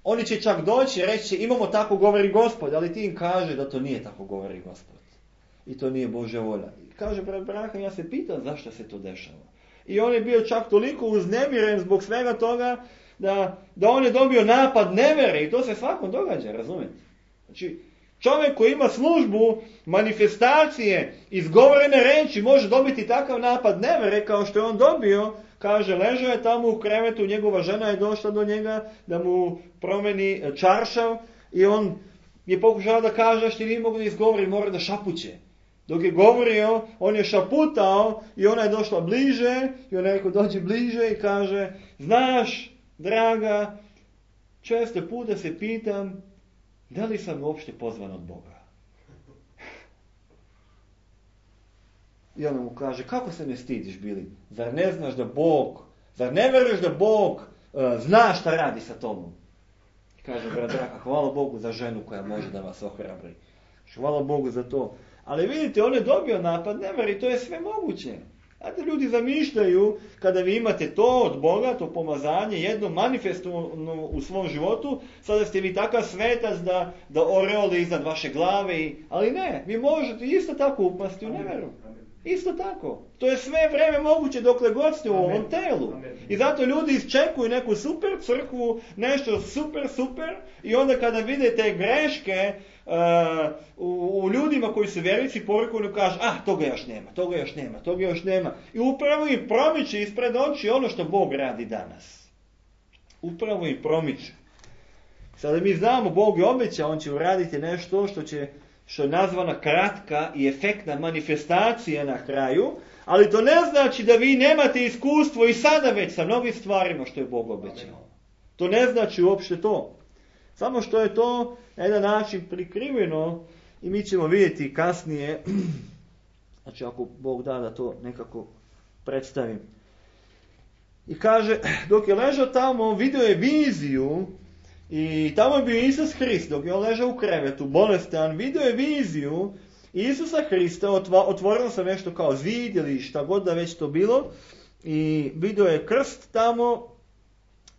oni će čak doći i reći imamo tako govori Gospod, ali ti im kaže da to nije tako govori Gospod. I to nije Božja volja. I kaže brat Branham, ja se pitam zašto se to dešava. I on je bio čak toliko uznemiren zbog svega toga da on je dobio napad nevere i to se svakom događa, razumijete? Znači, čovjek koji ima službu, manifestacije, izgovorene reči može dobiti takav napad nevere kao što je on dobio. Kaže, ležao je tamo u krevetu, njegova žena je došla do njega da mu promeni čaršav i on je pokušao da kaže što nije mogu da izgovori, mora da šapuće. Dok je govorio, on je šaputao i ona je došla bliže i on je rekao dođi bliže i kaže, znaš, draga, često puta se pitam da li sam uopšte pozvan od Boga. I ona mu kaže, kako se ne stidiš bili? Zar ne znaš da Bog, zar ne veruješ da Bog zna šta radi sa tobom? Kaže brat Draga, hvala Bogu za ženu koja može da vas ohrabri. Hvala Bogu za to. Ali vidite, on je dobio napad nevere i to je sve moguće. Znate, ljudi zamišljaju, kada vi imate to od Boga, to pomazanje, jedno manifestovano u svom životu, sada ste vi takav svetac da oreole iznad vaše glave. Ali ne, vi možete isto tako upasti u neveru. Isto tako. To je sve vreme moguće dokle god ste u ovom telu. I zato ljudi iščekuju neku super crkvu, nešto super i onda kada vidite greške u ljudima koji su vjernici porukuju i kažu, toga još nema. I upravo im promiče ispred oči ono što Bog radi danas. Upravo im promiče. Sada mi znamo, Bog je obećao, on će uraditi nešto što je nazvana kratka i efektna manifestacija na kraju, ali to ne znači da vi nemate iskustvo i sada već sa mnogim stvarima što je Bog obećao. To ne znači uopšte to. Samo što je to na jedan način prikriveno i mi ćemo vidjeti kasnije, znači ako Bog da to nekako predstavim. I kaže, dok je ležao tamo, vidio je viziju. I tamo je bio Isus Hrist, dok je on ležao u krevetu, bolestan, vidio je viziju Isusa Hrista, otvorilo se nešto kao zid ili šta god da već to bilo, i vidio je krst tamo,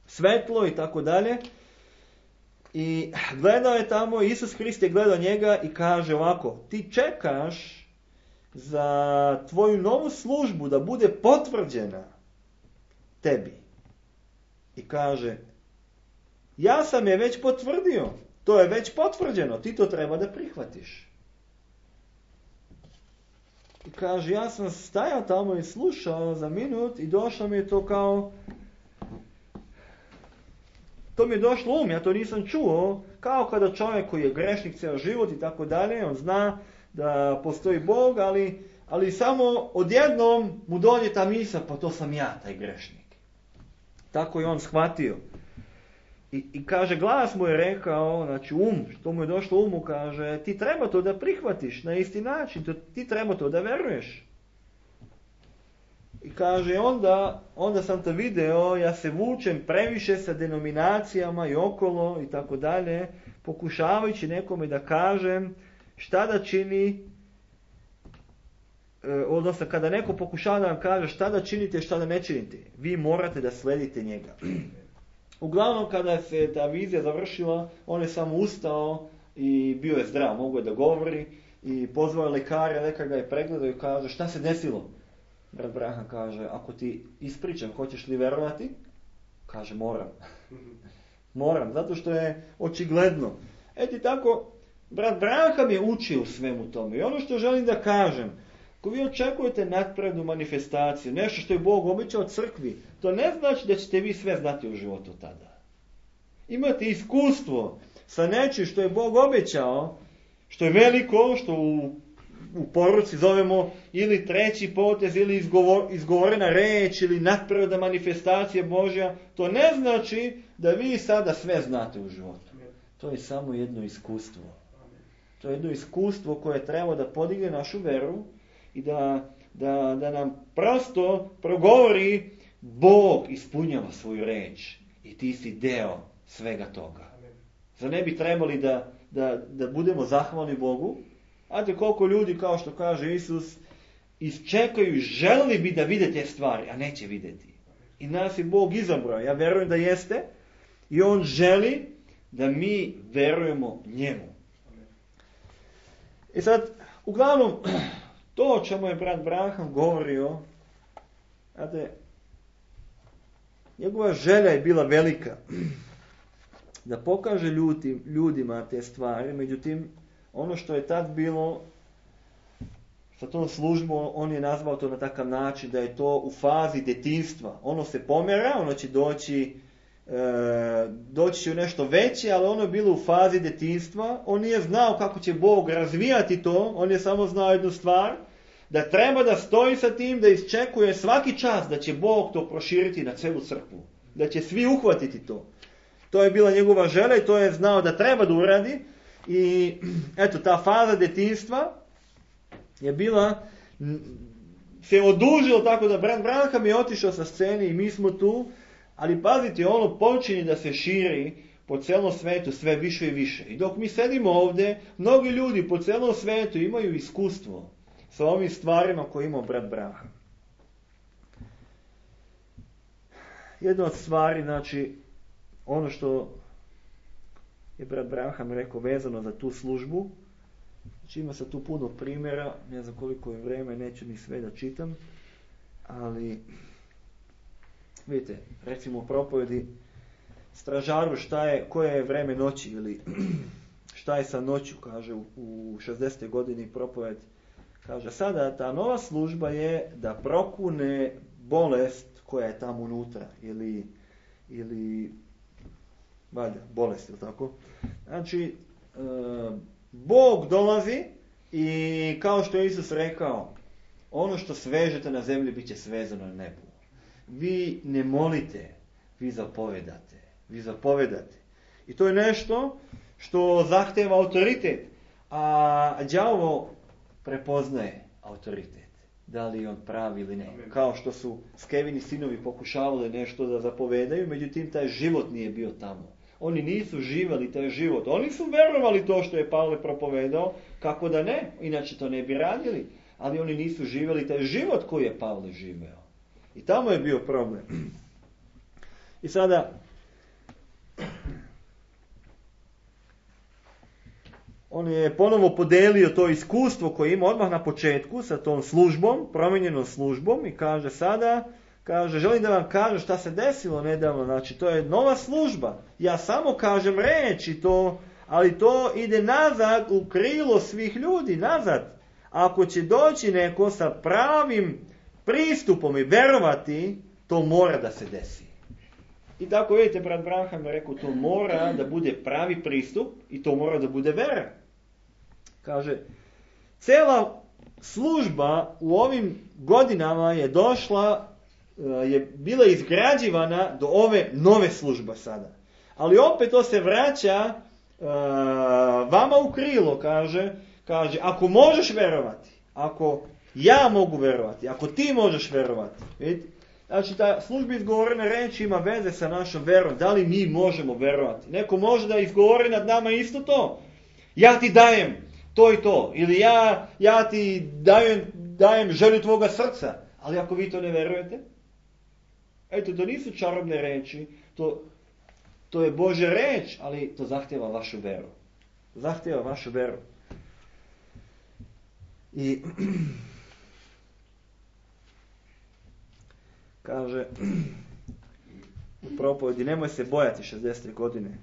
svetlo i tako dalje, i gledao je tamo, Isus Hrist je gledao njega i kaže ovako, ti čekaš za tvoju novu službu da bude potvrđena tebi. I kaže, ja sam je već potvrdio. To je već potvrđeno. Ti to treba da prihvatiš. I kaže, ja sam stajao tamo i slušao za minut i došlo mi je to kao... To mi je došlo ja to nisam čuo. Kao kada čovjek koji je grešnik cijel život i tako dalje, on zna da postoji Bog, ali samo odjednom mu dođe ta misao, pa to sam ja, taj grešnik. Tako je on shvatio. I kaže, glas mu je rekao, znači što mu je došlo umu, kaže, ti treba to da prihvatiš na isti način, ti treba to da veruješ. I kaže, onda sam to video, ja se vučem previše sa denominacijama i okolo i tako dalje, pokušavajući nekome da kažem šta da čini, odnosno kada neko pokušava da vam kaže šta da činite, šta da ne činite, vi morate da sledite njega. Uglavnom, kada se ta vizija završila, on je samo ustao i bio je zdrav, mogao je da govori i pozvao je lekara, lekar ga je pregledao i kaže šta se desilo? Brat Branham kaže, ako ti ispričam, hoćeš li verovati? Kaže, moram. Moram, zato što je očigledno. Eto tako, brat Branham je učio u svemu tome. I ono što želim da kažem, ako vi očekujete nadprednu manifestaciju, nešto što je Bog obećao crkvi, to ne znači da ćete vi sve znati u životu tada. Imate iskustvo sa nečim što je Bog obećao, što je veliko, što u poruci zovemo ili treći potez, ili izgovorena reč, ili nadprirodna manifestacija Božja, to ne znači da vi sada sve znate u životu. To je samo jedno iskustvo. To je jedno iskustvo koje treba da podigne našu veru i da nam prosto progovori Bog ispunjava svoju reč i ti si deo svega toga. Zar ne bi trebali da budemo zahvalni Bogu? Znate koliko ljudi, kao što kaže Isus, isčekaju, želili bi da vide te stvari, a neće vidjeti. I nas je Bog izabrao. Ja verujem da jeste i On želi da mi verujemo njemu. I sad, uglavnom, to o čemu je brat Branham govorio, znate, njegova želja je bila velika da pokaže ljudima te stvari, međutim, ono što je tad bilo sa tom službom, on je nazvao to na takav način da je to u fazi detinjstva. Ono se pomera, ono će doći će u nešto veće, ali ono je bilo u fazi detinjstva. On nije znao kako će Bog razvijati to, on je samo znao jednu stvar, da treba da stoji sa tim, da isčekuje svaki čas da će Bog to proširiti na celu crkvu, da će svi uhvatiti to. To je bila njegova želja i to je znao da treba da uradi. I eto, ta faza detinjstva je bila, se odužilo tako da brat Branham je otišao sa scene i mi smo tu, ali pazite, ono počinje da se širi po celom svetu sve više i više. I dok mi sedimo ovdje, mnogi ljudi po celom svetu imaju iskustvo sa ovim stvarima koje imao brat Branham. Jedna od stvari, znači, ono što je brat Branham rekao vezano za tu službu, znači ima se tu puno primjera, ne znam koliko je vreme, neću ni sve da čitam, ali vidite, recimo u propovedi stražaru koje je vreme noći ili šta je sa noću, kaže u 60. godini propoved, kaže sada ta nova služba je da prokune bolest koja je tamo unutra ili valjda, bolest, ili tako? Znači, Bog dolazi i kao što je Isus rekao, ono što svežete na zemlji bit će svezano na nebu. Vi ne molite, vi zapovedate. I to je nešto što zahteva autoritet, a đavo prepoznaje autoritet. Da li je on pravi ili ne. Kao što su Skevini sinovi pokušavali nešto da zapovedaju, međutim taj život nije bio tamo. Oni nisu živjeli taj život. Oni su verovali to što je Pavle propovedao, kako da ne, inače to ne bi radili. Ali oni nisu živjeli taj život koji je Pavle živeo. I tamo je bio problem. I sada, on je ponovo podelio to iskustvo koje ima odmah na početku sa tom službom, promijenjenom službom i kaže sada, želim da vam kažem šta se desilo nedavno, znači to je nova služba. Ja samo kažem reč i to, ali to ide nazad u krilo svih ljudi, nazad. Ako će doći neko sa pravim pristupom i verovati, to mora da se desi. I tako vidite, brat Branham je rekao, to mora da bude pravi pristup i to mora da bude vera. Kaže, cela služba u ovim godinama je došla, je bila izgrađivana do ove nove službe sada. Ali opet to se vraća vama u krilo, kaže, ako možeš verovati, ako ja mogu verovati, ako ti možeš verovati. Vidite? Znači, ta služba izgovorene reči ima veze sa našom verom. Da li mi možemo verovati? Neko može da izgovori nad nama isto to. Ja ti dajem to i to. Ili ja ti dajem dajem želju tvoga srca. Ali ako vi to ne verujete, eto, to nisu čarobne reči, to je Božja reč, ali to zahtjeva vašu veru. Zahtjeva vašu veru. I kaže u propovedi, nemoj se bojati 60. godine.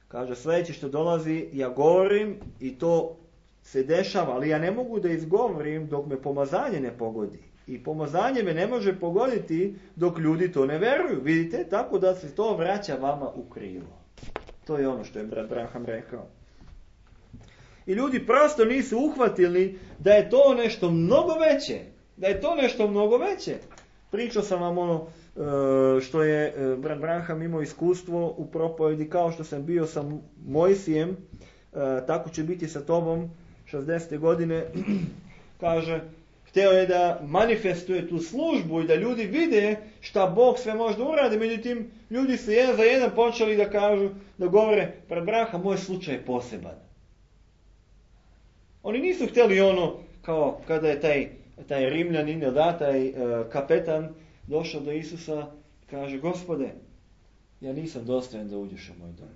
Kaže, sljedeće što dolazi, ja govorim i to se dešava, ali ja ne mogu da izgovorim dok me pomazanje ne pogodi. I pomazanje me ne može pogoditi dok ljudi to ne veruju. Vidite? Tako da se to vraća vama u krivo. To je ono što je brat Branham rekao. I ljudi prosto nisu uhvatili da je to nešto mnogo veće. Da je to nešto mnogo veće. Pričao sam vam ono što je brat Branham imao iskustvo u propovedi, kao što sam bio sa Mojsijem, tako će biti sa tobom 60. godine. Kaže, htio je da manifestuje tu službu i da ljudi vide šta Bog sve može da uradi. Međutim, ljudi su jedan za jedan počeli da kažu, da govore, brat Branham, moj slučaj je poseban. Oni nisu htjeli ono, kao kada je taj Rimljanin, taj kapetan, došao do Isusa, kaže, Gospode, ja nisam dostojan da uđeš u moj dom.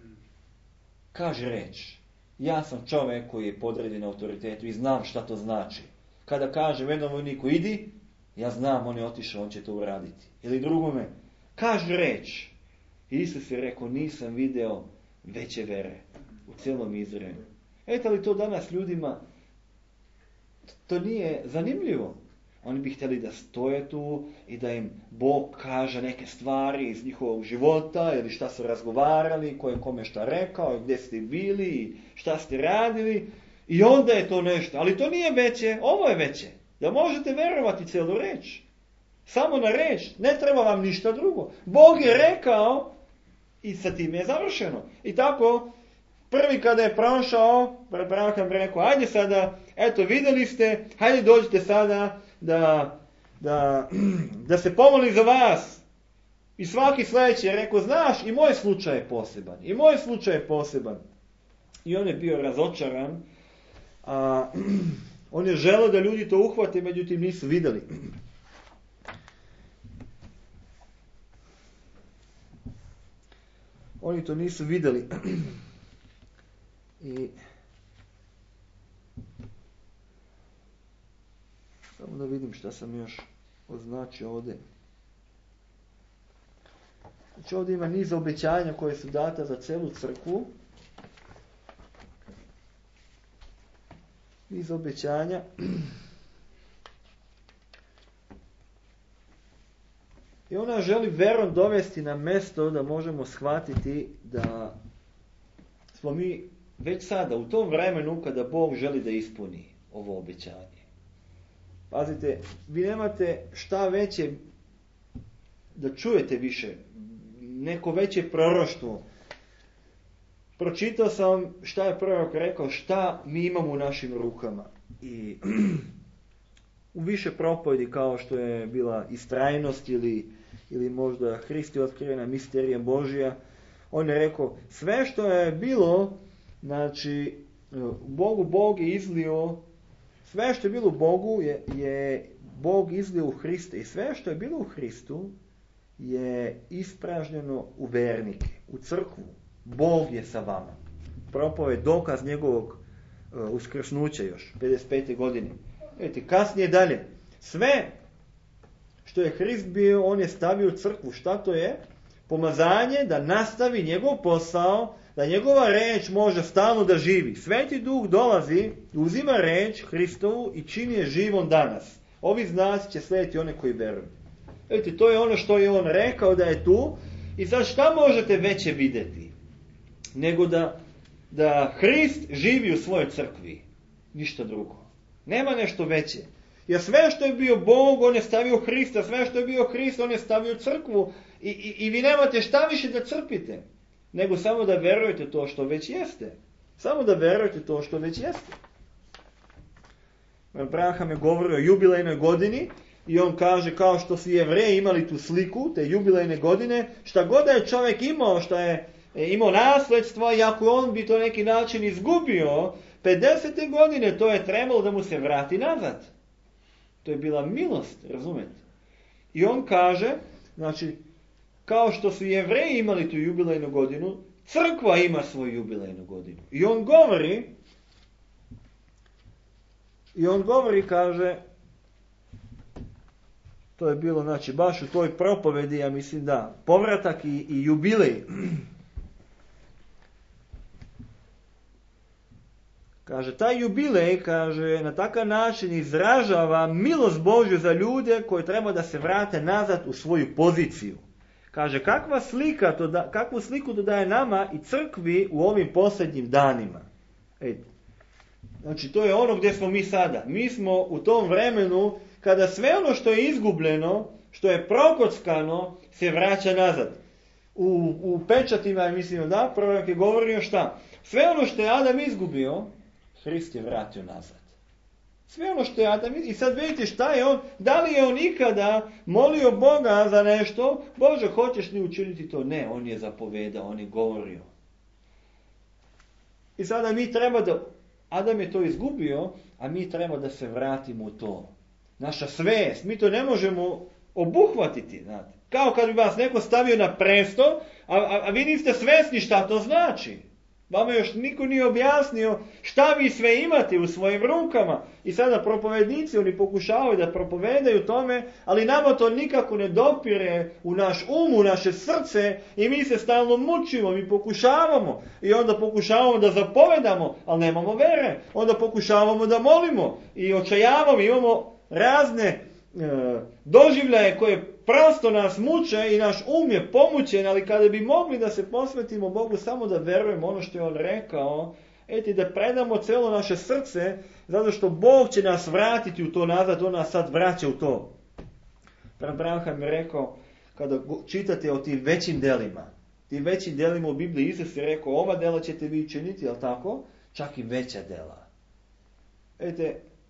Kaže reč, ja sam čovjek koji je podređen autoritetu i znam šta to znači. Kada kaže jednom vojniku idi, ja znam, on je otišao, on će to uraditi. Ili drugome, kaže reč. Isus je rekao, nisam video veće vere u cijelom Izraelu. Eto li to danas ljudima, to nije zanimljivo. Oni bi htjeli da stoje tu i da im Bog kaže neke stvari iz njihovog života ili šta su razgovarali, ko je kome šta rekao, gdje ste bili, šta ste radili. I onda je to nešto. Ali to nije veće, ovo je veće. Da možete verovati cijelu reč. Samo na reč. Ne treba vam ništa drugo. Bog je rekao i sa tim je završeno. I tako, prvi kada je prošao, Branham rekao, ajde sada, eto vidjeli ste, hajde dođite sada da se pomoli za vas. I svaki sljedeći je rekao, znaš, i moj slučaj je poseban. I moj slučaj je poseban. I on je bio razočaran. A on je želeo da ljudi to uhvate, međutim nisu vidjeli. Oni to nisu vidjeli. I samo da vidim šta sam još označio ovdje. Znači ovdje ima niz obećanja koje su data za celu crkvu. Niz obećanja. I ona želi verom dovesti na mjesto da možemo shvatiti da smo mi već sada u tom vremenu kada Bog želi da ispuni ovo obećanje. Pazite, vi nemate šta veće da čujete više, neko veće proroštvo. Pročitao sam šta je prorok rekao, šta mi imamo u našim rukama. I u više propovedi kao što je bila istrajnost ili možda Hrist je otkrivena misterija Božja, on je rekao, sve što je bilo, znači, Bog je izlio, sve što je bilo u Bogu je Bog izlio u Hriste. I sve što je bilo u Hristu je ispražnjeno u vernike, u crkvu. Bog je sa vama. Propoved dokaz njegovog uskrsnuća još, 55. godine. Vidite, kasnije dalje. Sve što je Hrist bio, on je stavio u crkvu. Šta to je? Pomazanje da nastavi njegov posao, da njegova reč može stalno da živi. Sveti Duh dolazi, uzima reč Hristovu i čini je živom danas. Ovi znaci će slijediti one koji veruju. Vidite, to je ono što je on rekao da je tu. I sad šta možete veće vidjeti? Nego da Hrist živi u svojoj crkvi. Ništa drugo. Nema nešto veće. Jer sve što je bio Bog, on je stavio Hrista. Sve što je bio Hrist, on je stavio crkvu. I vi nemate šta više da crpite. Nego samo da verujete to što već jeste. Samo da verujete to što već jeste. Branham je govorio o jubilejnoj godini. I on kaže, kao što su Jevreji imali tu sliku, te jubilejne godine, šta god da je čovjek imao, šta je imao nasljedstvo, i ako on bi to neki način izgubio, 50. godine to je trebalo da mu se vrati nazad. To je bila milost, razumete? I on kaže, znači, kao što su Jevreji imali tu jubilejnu godinu, crkva ima svoju jubilejnu godinu. I on govori, kaže, to je bilo, znači, baš u toj propovedi, ja mislim da, povratak i jubilej. Kaže, taj jubilej, kaže, na takav način izražava milost Božju za ljude koji treba da se vrate nazad u svoju poziciju. Kaže, kakvu sliku to daje nama i crkvi u ovim posljednjim danima. Znači, to je ono gdje smo mi sada. Mi smo u tom vremenu kada sve ono što je izgubljeno, što je prokockano, se vraća nazad. U pečatima, mislim, da, prorok je govorio šta? Sve ono što je Adam izgubio, Hrist je vratio nazad. Sve ono što je Adam izgubio. I sad vidite šta je on, da li je on ikada molio Boga za nešto, Bože, hoćeš li učiniti to? Ne, on je zapovedao, on je govorio. I sada mi treba da, Adam je to izgubio, a mi treba da se vratimo u to. Naša svest, mi to ne možemo obuhvatiti, znate. Kao kad bi vas neko stavio na presto, a vi niste svesni šta to znači. Vama još niko nije objasnio šta vi sve imate u svojim rukama. I sada propovednici, oni pokušavaju da propovedaju tome, ali nama to nikako ne dopire u naš u naše srce i mi se stalno mučimo, mi pokušavamo. I onda pokušavamo da zapovedamo, ali nemamo vere. Onda pokušavamo da molimo i očajavamo, imamo razne doživljaje koje prosto nas muče i naš je pomućen, ali kada bi mogli da se posvetimo Bogu samo da verujemo ono što je on rekao, da predamo cijelo naše srce, zato što Bog će nas vratiti u to nazad, on nas sad vraća u to. Branham je rekao, kada čitate o tim većim delima u Bibliji, Isus je rekao, ova dela ćete vi činiti, jel tako? Čak i veća dela.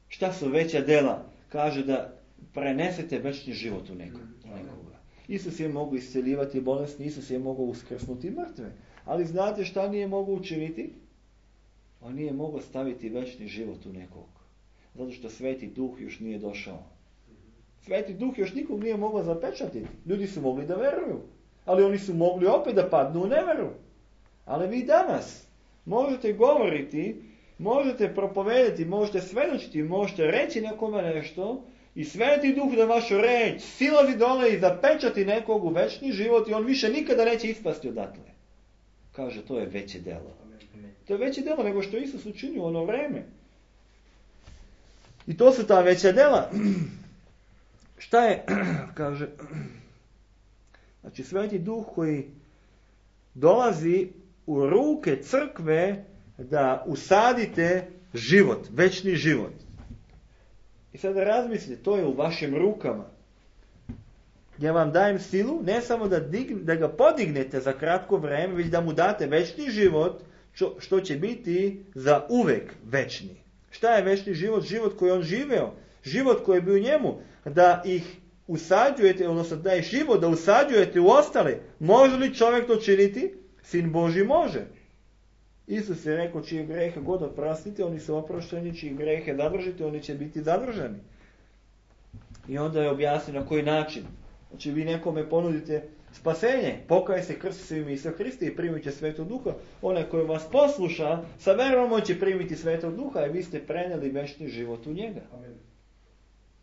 Šta su veća dela? Kaže da prenesete večni život u nekoga. Isus je mogao isceljivati bolesni, Isus je mogao uskrsnuti mrtve. Ali znate šta nije mogao učiniti? On nije mogao staviti večni život u nekog. Zato što Sveti Duh još nije došao. Sveti Duh još nikog nije mogao zapečatiti. Ljudi su mogli da veruju. Ali oni su mogli opet da padnu u neveru. Ali vi danas možete govoriti, možete propovedati, možete svedočiti, možete reći nekome nešto i Sveti Duh da vašu reč silazi dole i zapečati nekog u večni život i on više nikada neće ispasti odatle. Kaže, to je veće delo. To je veće delo nego što Isus učinio u ono vreme. I to su ta veća dela. Šta je? Kaže, znači Sveti Duh koji dolazi u ruke crkve da usadite život, večni život. I sada razmislite, to je u vašim rukama. Ja vam dajem silu, ne samo da ga podignete za kratko vreme, već da mu date večni život, što će biti za uvek večni. Šta je večni život? Život koji on živeo, život koji je bio u njemu, da ih usađujete, odnosno da je život da usađujete u ostale. Može li čovjek to činiti? Sin Božji može. Isus je rekao, čije grehe god oprostite, oni su oprošteni, čije grehe zadržite, oni će biti zadržani. I onda je objasnio na koji način. Znači vi nekome ponudite spasenje, pokaj se, krsti se u ime Isusa Hrista i primite Svetog Duha. Onaj koji vas posluša, sa verom će primiti Svetog Duha i vi ste prenijeli večni život u njega. Amen.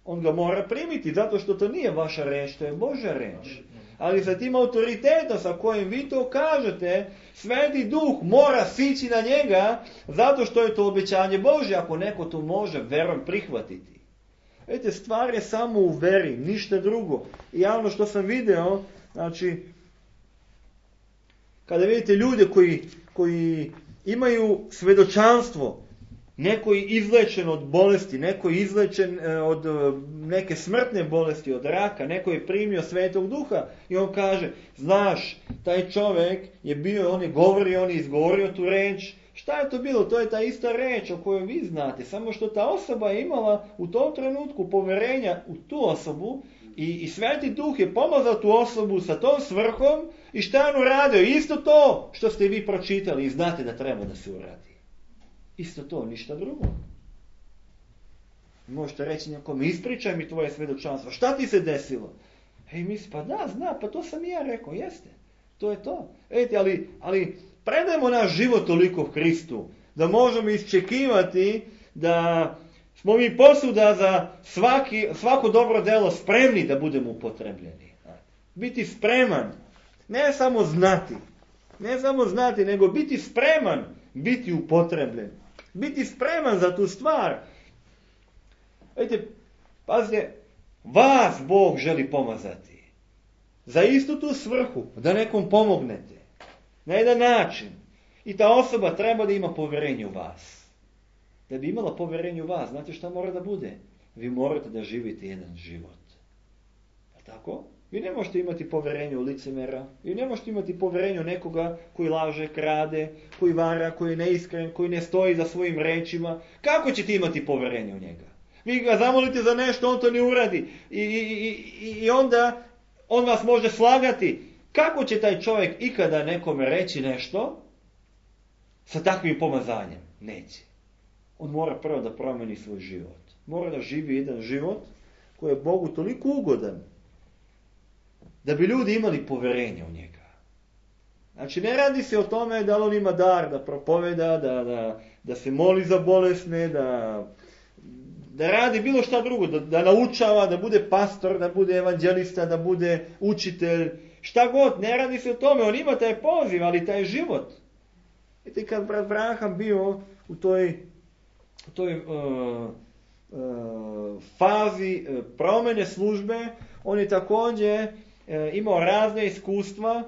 On ga mora primiti, zato što to nije vaša reč, to je Božja reč. Ali sa tim autoritetom sa kojim vi to kažete, Sveti Duh mora sići na njega, zato što je to obećanje Božje, ako neko to može verom prihvatiti. Vidite, stvar je samo u veri, ništa drugo. I ono što sam video, znači, kada vidite ljude koji imaju svedočanstvo, neko je izlečen od bolesti, neko je izlečen od neke smrtne bolesti, od raka, neko je primio Svetog Duha i on kaže, znaš, taj čovjek je bio, on je govorio, on je izgovorio tu reč. Šta je to bilo? To je ta ista reč o kojoj vi znate, samo što ta osoba je imala u tom trenutku poverenja u tu osobu i Sveti Duh je pomazao tu osobu sa tom svrhom i šta je on uradio? Isto to što ste vi pročitali i znate da treba da se uradi. Isto to, ništa drugo. Možete reći nekom, ispričaj mi tvoje svjedočanstvo. Šta ti se desilo? Misli, pa da, zna, pa to sam i ja rekao, jeste. To je to. Ali predajemo naš život toliko Hristu, da možemo iščekivati da smo mi posuda za svako dobro delo spremni da budemo upotrebljeni. Biti spreman, ne samo znati, nego biti spreman, biti upotrebljen. Biti spreman za tu stvar. Pazite, vas Bog želi pomazati. Za istu tu svrhu, da nekom pomognete. Na jedan način. I ta osoba treba da ima povjerenje u vas. Da bi imala povjerenje u vas, znate šta mora da bude? Vi morate da živite jedan život. Tako? Vi ne možete imati povjerenje u licemera. Vi ne možete imati povjerenje u nekoga koji laže, krade, koji vara, koji je neiskren, koji ne stoji za svojim rečima. Kako ćete imati povjerenje u njega? Vi ga zamolite za nešto, on to ne uradi. I onda on vas može slagati. Kako će taj čovjek ikada nekome reći nešto sa takvim pomazanjem? Neće. On mora prvo da promeni svoj život. Mora da živi jedan život koji je Bogu toliko ugodan da bi ljudi imali povjerenje u njega. Znači, ne radi se o tome da on ima dar da propoveda, da se moli za bolesne, da radi bilo šta drugo, da naučava, da bude pastor, da bude evanđelista, da bude učitelj, šta god, ne radi se o tome, on ima taj poziv, ali taj život. Vidite, kad brat Branham bio u toj fazi promjene službe, on je također imao razne iskustva.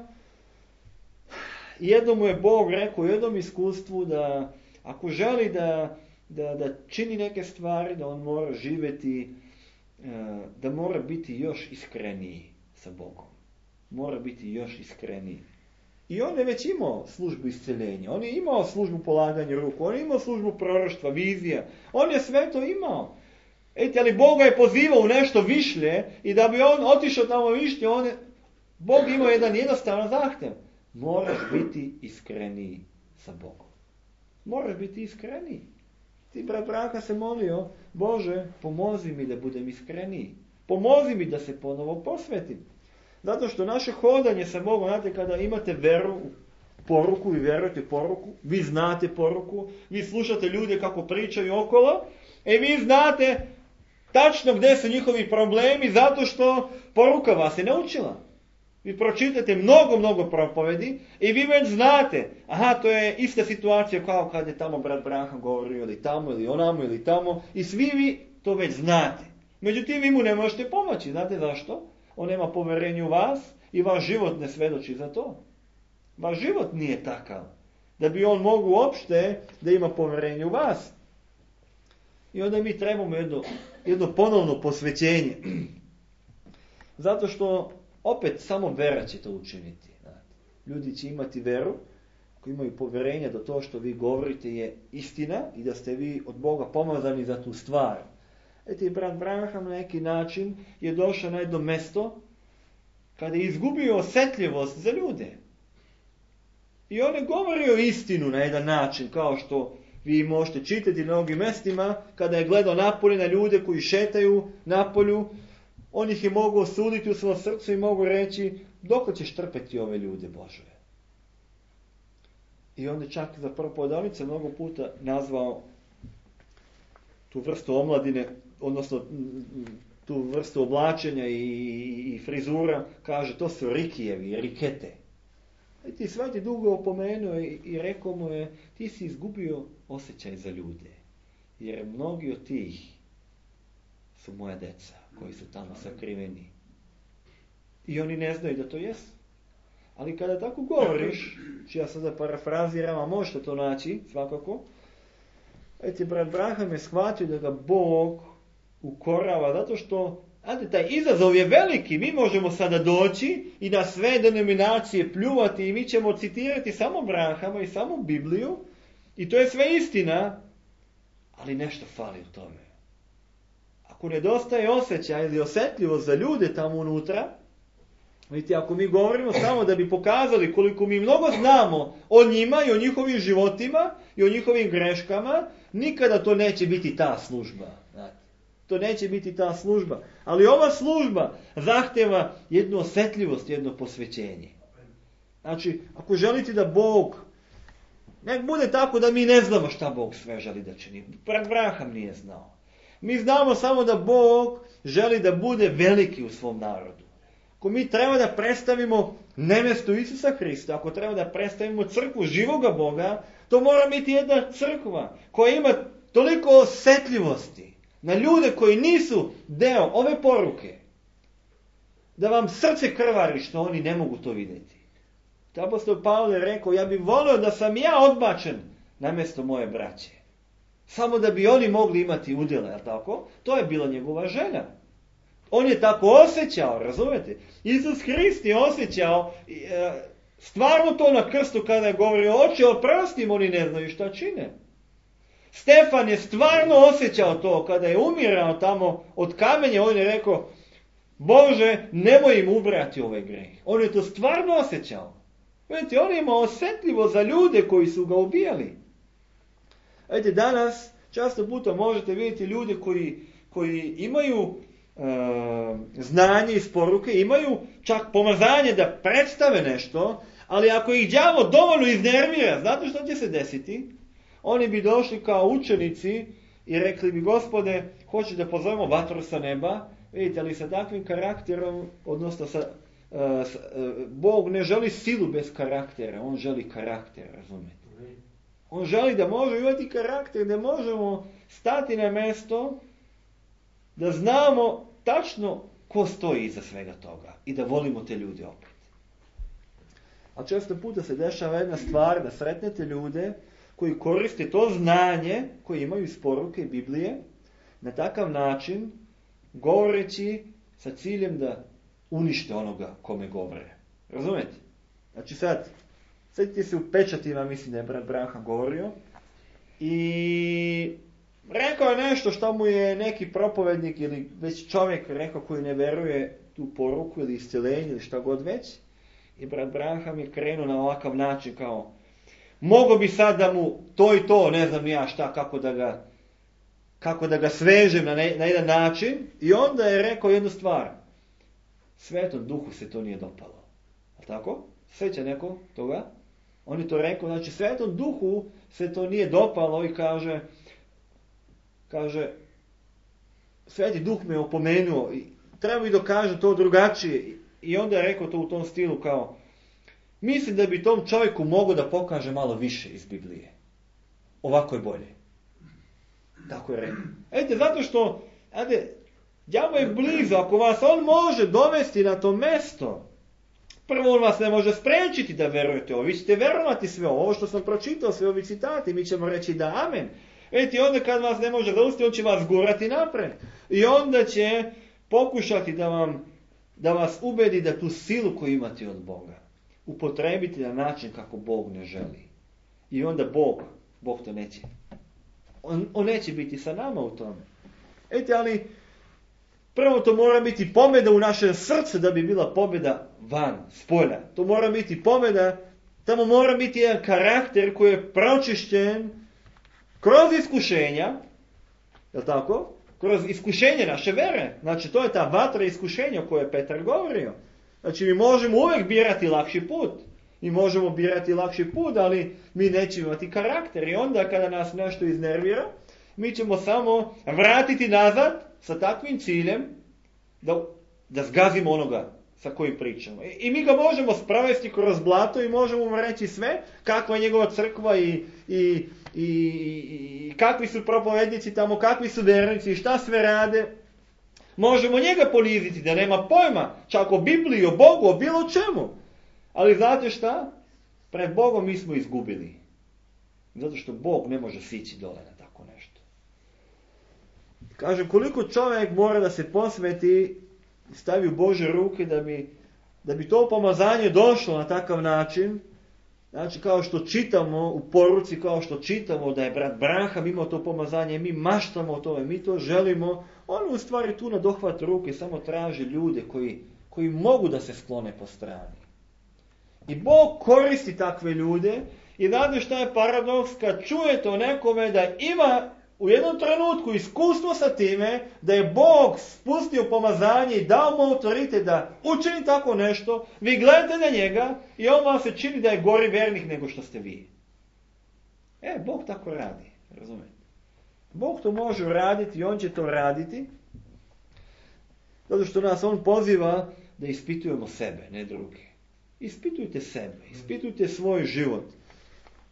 Jednom mu je Bog rekao u jednom iskustvu da ako želi da čini neke stvari, da on mora živjeti, da mora biti još iskreniji sa Bogom. Mora biti još iskreniji. I on je već imao službu isceljenja, on je imao službu polaganja ruku, on je imao službu proroštva, vizija, on je sve to imao. Ali Bog ga je pozivao u nešto višlje i da bi on otišao tamo višlje, Bog imao jedan jednostavan zahtjev. Moraš biti iskreniji sa Bogom. Moraš biti iskreniji. Ti brat Branka se molio, Bože, pomozi mi da budem iskreniji. Pomozi mi da se ponovo posvetim. Zato što naše hodanje sa Bogom, znate, kada imate veru u poruku, vi vjerujete poruku, vi znate poruku, vi slušate ljude kako pričaju okolo, vi znate tačno gdje su njihovi problemi, zato što poruka vas je naučila. Vi pročitate mnogo propovedi i vi već znate, to je ista situacija kao kad je tamo brat Branham govorio ili tamo ili onamo ili tamo i svi vi to već znate. Međutim, vi mu ne možete pomoći. Znate zašto? On nema povjerenja u vas i vaš život ne svedoči za to. Vaš život nije takav da bi on mogao uopšte da ima povjerenje u vas. I onda mi trebamo jedno ponovno posvećenje. Zato što opet samo vera će to učiniti. Ljudi će imati veru, koji imaju povjerenje da to što vi govorite je istina i da ste vi od Boga pomazani za tu stvar. Brat Branham na neki način je došao na jedno mjesto kada je izgubio osjetljivost za ljude. I on je govorio istinu na jedan način, kao što vi možete čitati na mnogim mjestima, kada je gledao napolje na ljude koji šetaju napolju, on ih je mogao osuditi u svom srcu i mogu reći, dok ćeš trpeti ove ljude, Bože. I onda čak za propovedanice mnogo puta nazvao tu vrstu omladine, odnosno tu vrstu oblačenja i frizura, kaže, to su rikijevi, rikete. I ti Sveti Duh ga opomenuo i rekao mu je, ti si izgubio osjećaj za ljude. Jer mnogi od tih su moja deca koji su tamo sakriveni. I oni ne znaju da to jesu. Ali kada tako govoriš, ja sada parafraziram, a možete to naći, svakako, brat Branham je shvatio da ga Bog ukorava, zato što taj izazov je veliki. Mi možemo sada doći i na sve denominacije pljuvati i mi ćemo citirati samo Branhama i samo Bibliju i to je sve istina, ali nešto fali u tome. Ako nedostaje osjećaj ili osjetljivost za ljude tamo unutra, vidite, ako mi govorimo samo da bi pokazali koliko mi mnogo znamo o njima i o njihovim životima i o njihovim greškama, nikada to neće biti ta služba. Znate. To neće biti ta služba. Ali ova služba zahtjeva jednu osjetljivost, jedno posvećenje. Znači, ako želite da Bog, nek bude tako da mi ne znamo šta Bog sve želi da čini. Brat Braham nije znao. Mi znamo samo da Bog želi da bude veliki u svom narodu. Ako mi treba da predstavimo nemestu Isusa Hrista, ako treba da predstavimo crkvu živoga Boga, to mora biti jedna crkva koja ima toliko osjetljivosti na ljude koji nisu deo ove poruke, da vam srce krvari što oni ne mogu to vidjeti. Apostol Pavle je rekao, ja bih volio da sam ja odbačen na mjesto moje braće. Samo da bi oni mogli imati udjele, jel tako? To je bila njegova želja. On je tako osjećao, razumete? Isus Hrist je osjećao stvarno to na krstu kada je govorio, oče, oprosti im, oni ne znaju šta čine. Stefan je stvarno osjećao to kada je umirao tamo od kamenja, on je rekao, Bože, nemoj im ubrati ovaj greh. On je to stvarno osjećao. Vidite, on je imao osjetljivo za ljude koji su ga ubijali. Vidite, danas često puta možete vidjeti ljude koji imaju znanje iz poruke, imaju čak pomazanje da predstave nešto, ali ako ih đavo dovoljno iznervira, znate što će se desiti? Oni bi došli kao učenici i rekli bi, Gospode, hoćeš da pozovemo vatru sa neba? Vidite, ali sa takvim karakterom, odnosno Bog ne želi silu bez karaktera, on želi karakter, razumijete? On želi da možemo imati karakter, da možemo stati na mjesto, da znamo tačno ko stoji iza svega toga i da volimo te ljude opet. A često puta se dešava jedna stvar da sretnete ljude koji koriste to znanje koje imaju iz poruke Biblije na takav način govoreći sa ciljem da unište onoga kome govore. Razumete? Znači sad, sjetite se u pečatima, mislim da je brat Braham govorio, i rekao je nešto što mu je neki propovednik ili već čovjek rekao koji ne veruje tu poruku ili iscjeljenje ili šta god već. I brat Braham je krenuo na ovakav način kao, mogo bi sad da mu to i to, ne znam ja šta, kako da ga svežem na jedan način. I onda je rekao jednu stvar. Svetom duhu se to nije dopalo. A tako? Sjeća neko toga? On je to rekao, znači Svetom duhu se to nije dopalo i kaže, Sveti duh me opomenuo i treba mi dokaže to drugačije. I onda je rekao to u tom stilu kao, mislim da bi tom čovjeku mogao da pokaže malo više iz Biblije. Ovako je bolje. Tako je rekao. Vidite, zato što, đavo je blizu, ako vas on može dovesti na to mjesto, prvo on vas ne može spriječiti da verujete ovo. Vi ćete verovati sve ovo što sam pročitao, sve ovi citati, mi ćemo reći da amen. Vidite, onda kad vas ne može zaustaviti, on će vas gurati napred. I onda će pokušati da vas ubedi da tu silu koju imate od Boga upotrebiti na način kako Bog ne želi. I onda Bog to neće. On neće biti sa nama u tome. Vidite, ali prvo to mora biti pobjeda u našem srcu da bi bila pobjeda van, spolja. To mora biti pobjeda, tamo mora biti jedan karakter koji je pročišćen kroz iskušenja, je tako? Kroz iskušenje naše vere. Znači, to je ta vatra iskušenja o kojoj je Petar govorio. Znači, mi možemo uvijek birati lakši put. Mi možemo birati lakši put, ali mi nećemo imati karakter. I onda kada nas nešto iznervira, mi ćemo samo vratiti nazad sa takvim ciljem da zgazimo onoga sa kojim pričamo. I mi ga možemo sprovesti kroz blato i možemo mu reći sve, kakva je njegova crkva i kakvi su propovednici tamo, kakvi su vernici i šta sve rade. Možemo njega poniziti da nema pojma, čak o Bibliji, o Bogu, o bilo čemu. Ali znate šta? Pred Bogom mi smo izgubili. Zato što Bog ne može sići dole na tako nešto. Kažem, koliko čovjek mora da se posveti i stavi u Božje ruke da bi to pomazanje došlo na takav način. Znači, kao što čitamo u poruci, kao što čitamo da je brat Braham imao to pomazanje, mi maštamo o tome, mi to želimo. On u stvari tu na dohvat ruke samo traži ljude koji mogu da se sklone po strani. I Bog koristi takve ljude i znate šta je paradoks kad čujete o nekome da ima u jednom trenutku iskustvo sa time da je Bog spustio pomazanje i dao mu autoritet da učini tako nešto, vi gledate na njega i on vam se čini da je gori vjernik nego što ste vi. Bog tako radi, razumijete? Bog to može uraditi i on će to raditi, zato što nas on poziva da ispitujemo sebe, ne druge. Ispitujte sebe, ispitujte svoj život.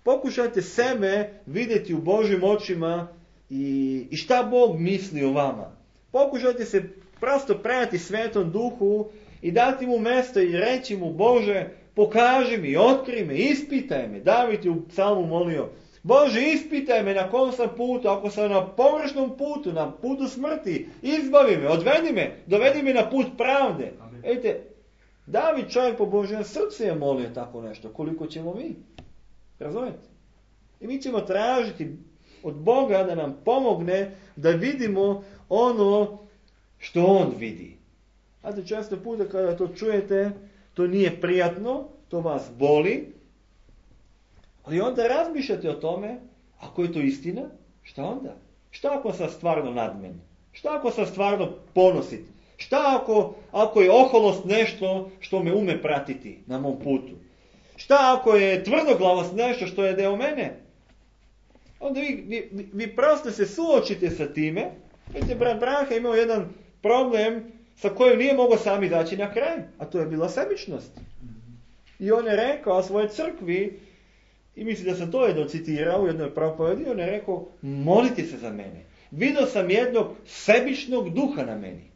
Pokušajte sebe vidjeti u Božjim očima i šta Bog misli o vama. Pokušajte se prosto predati Svetom Duhu i dati mu mjesto i reći mu: Bože, pokaži mi, otkri me, ispitaj me. David je u psalmu molio: Bože, ispitaj me na kom sam putu, ako sam na površnom putu, na putu smrti, izbavi me, odvedi me, dovedi me na put pravde. Vidite, David, čovjek po Božjem srcu, je molio tako nešto, koliko ćemo mi. Razumijete? I mi ćemo tražiti od Boga da nam pomogne da vidimo ono što on vidi. Znate, često puta kada to čujete, to nije prijatno, to vas boli, ali onda razmišljate o tome: ako je to istina, šta onda? Šta ako sam stvarno nadmen? Šta ako sam stvarno ponosit? Šta ako je oholost nešto što me ume pratiti na mom putu? Šta ako je tvrdoglavost nešto što je deo mene? Onda vi prosto se suočite sa time. Vidite, brat Branka imao jedan problem sa kojim nije mogao sami daći na kraj, a to je bila sebičnost. I on je rekao svojoj crkvi, i mislim da sam to jedno citirao u jednoj propovedi, on je rekao: molite se za mene. Vidio sam jednog sebičnog duha na meni.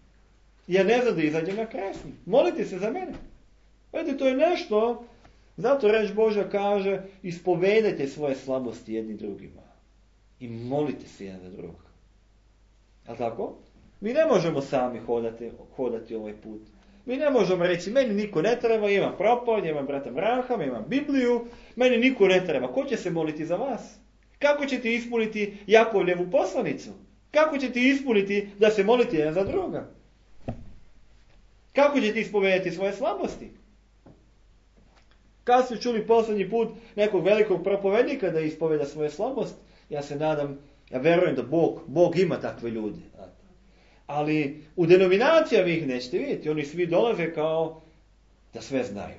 Ja ne znam da izađem na kraj s njim. Molite se za mene. Vidite, to je nešto, zato reč Božja kaže: ispovedajte svoje slabosti jedni drugima. I molite se jedan za drugog. A tako? Mi ne možemo sami hodati ovaj put. Mi ne možemo reći: meni niko ne treba, imam propovjed, imam brata Branhama, imam Bibliju, meni niko ne treba. Ko će se moliti za vas? Kako ćete ispuniti Jakovljevu poslanicu? Kako ćete ispuniti da se molite jedan za druga? Kako ćete ispovedati svoje slabosti? Kad ste čuli posljednji put nekog velikog propovednika da ispoveda svoje slabosti? Ja se nadam, ja verujem da Bog ima takve ljude. Ali u denominacijama ih nećete vidjeti. Oni svi dolaze kao da sve znaju.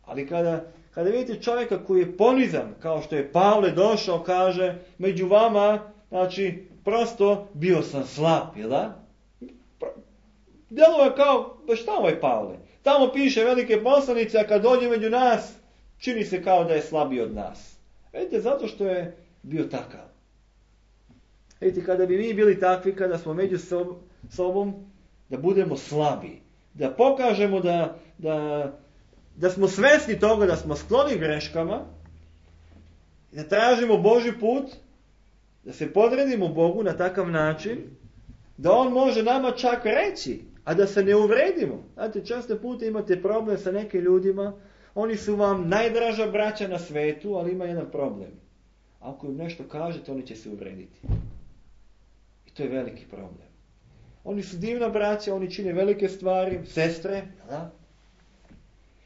Ali kada vidite čovjeka koji je ponizan, kao što je Pavle došao, kaže: među vama, znači, prosto bio sam slab, jel da? Djelovo je kao: pa šta ovaj Pavle? Tamo piše velike poslanice, a kad dođe među nas, čini se kao da je slabiji od nas. Vidite, zato što je bio takav. Vidite, kada bi mi bili takvi, kada smo među sobom, da budemo slabi, da pokažemo da smo svjesni toga, da smo skloni greškama, da tražimo Božji put, da se podredimo Bogu na takav način, da on može nama čak reći, a da se ne uvredimo. Znate, često puta imate problem sa nekim ljudima, oni su vam najdraža braća na svetu, ali ima jedan problem. Ako im nešto kažete, oni će se uvrediti. I to je veliki problem. Oni su divna braća, oni čine velike stvari, sestre, da?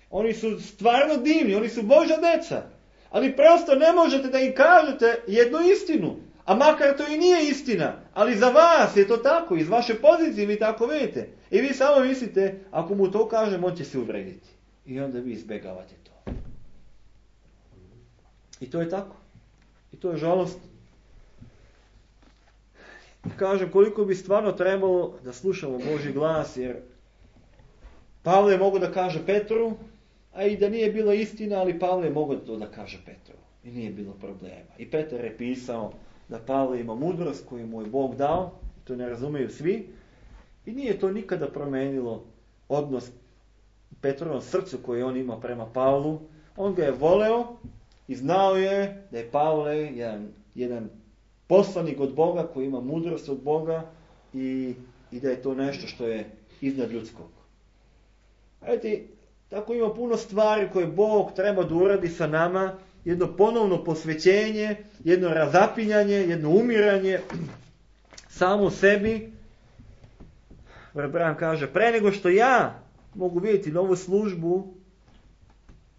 Oni su stvarno divni, oni su Božja deca. Ali prosto ne možete da im kažete jednu istinu. A makar to i nije istina. Ali za vas je to tako, iz vaše pozicije vi tako vidite. I vi samo mislite, ako mu to kažem, on će se uvrediti. I onda vi izbjegavate to. I to je tako. I to je žalost. Kažem, koliko bi stvarno trebalo da slušamo Božji glas, jer Pavle je mogao da kaže Petru, a i da nije bila istina, ali Pavle je mogao to da kaže Petru. I nije bilo problema. I Petar je pisao da Pavle ima mudrost koju mu je Bog dao, to ne razumiju svi, i nije to nikada promenilo odnos Petrovom srcu koji on ima prema Pavlu. On ga je voleo i znao je da je Pavle jedan poslanik od Boga koji ima mudrost od Boga i da je to nešto što je iznad ljudskog. Vidite, tako ima puno stvari koje Bog treba da uradi sa nama, jedno ponovno posvećenje, jedno razapinjanje, jedno umiranje samo sebi. Bran kaže, pre nego što ja mogu vidjeti novu službu,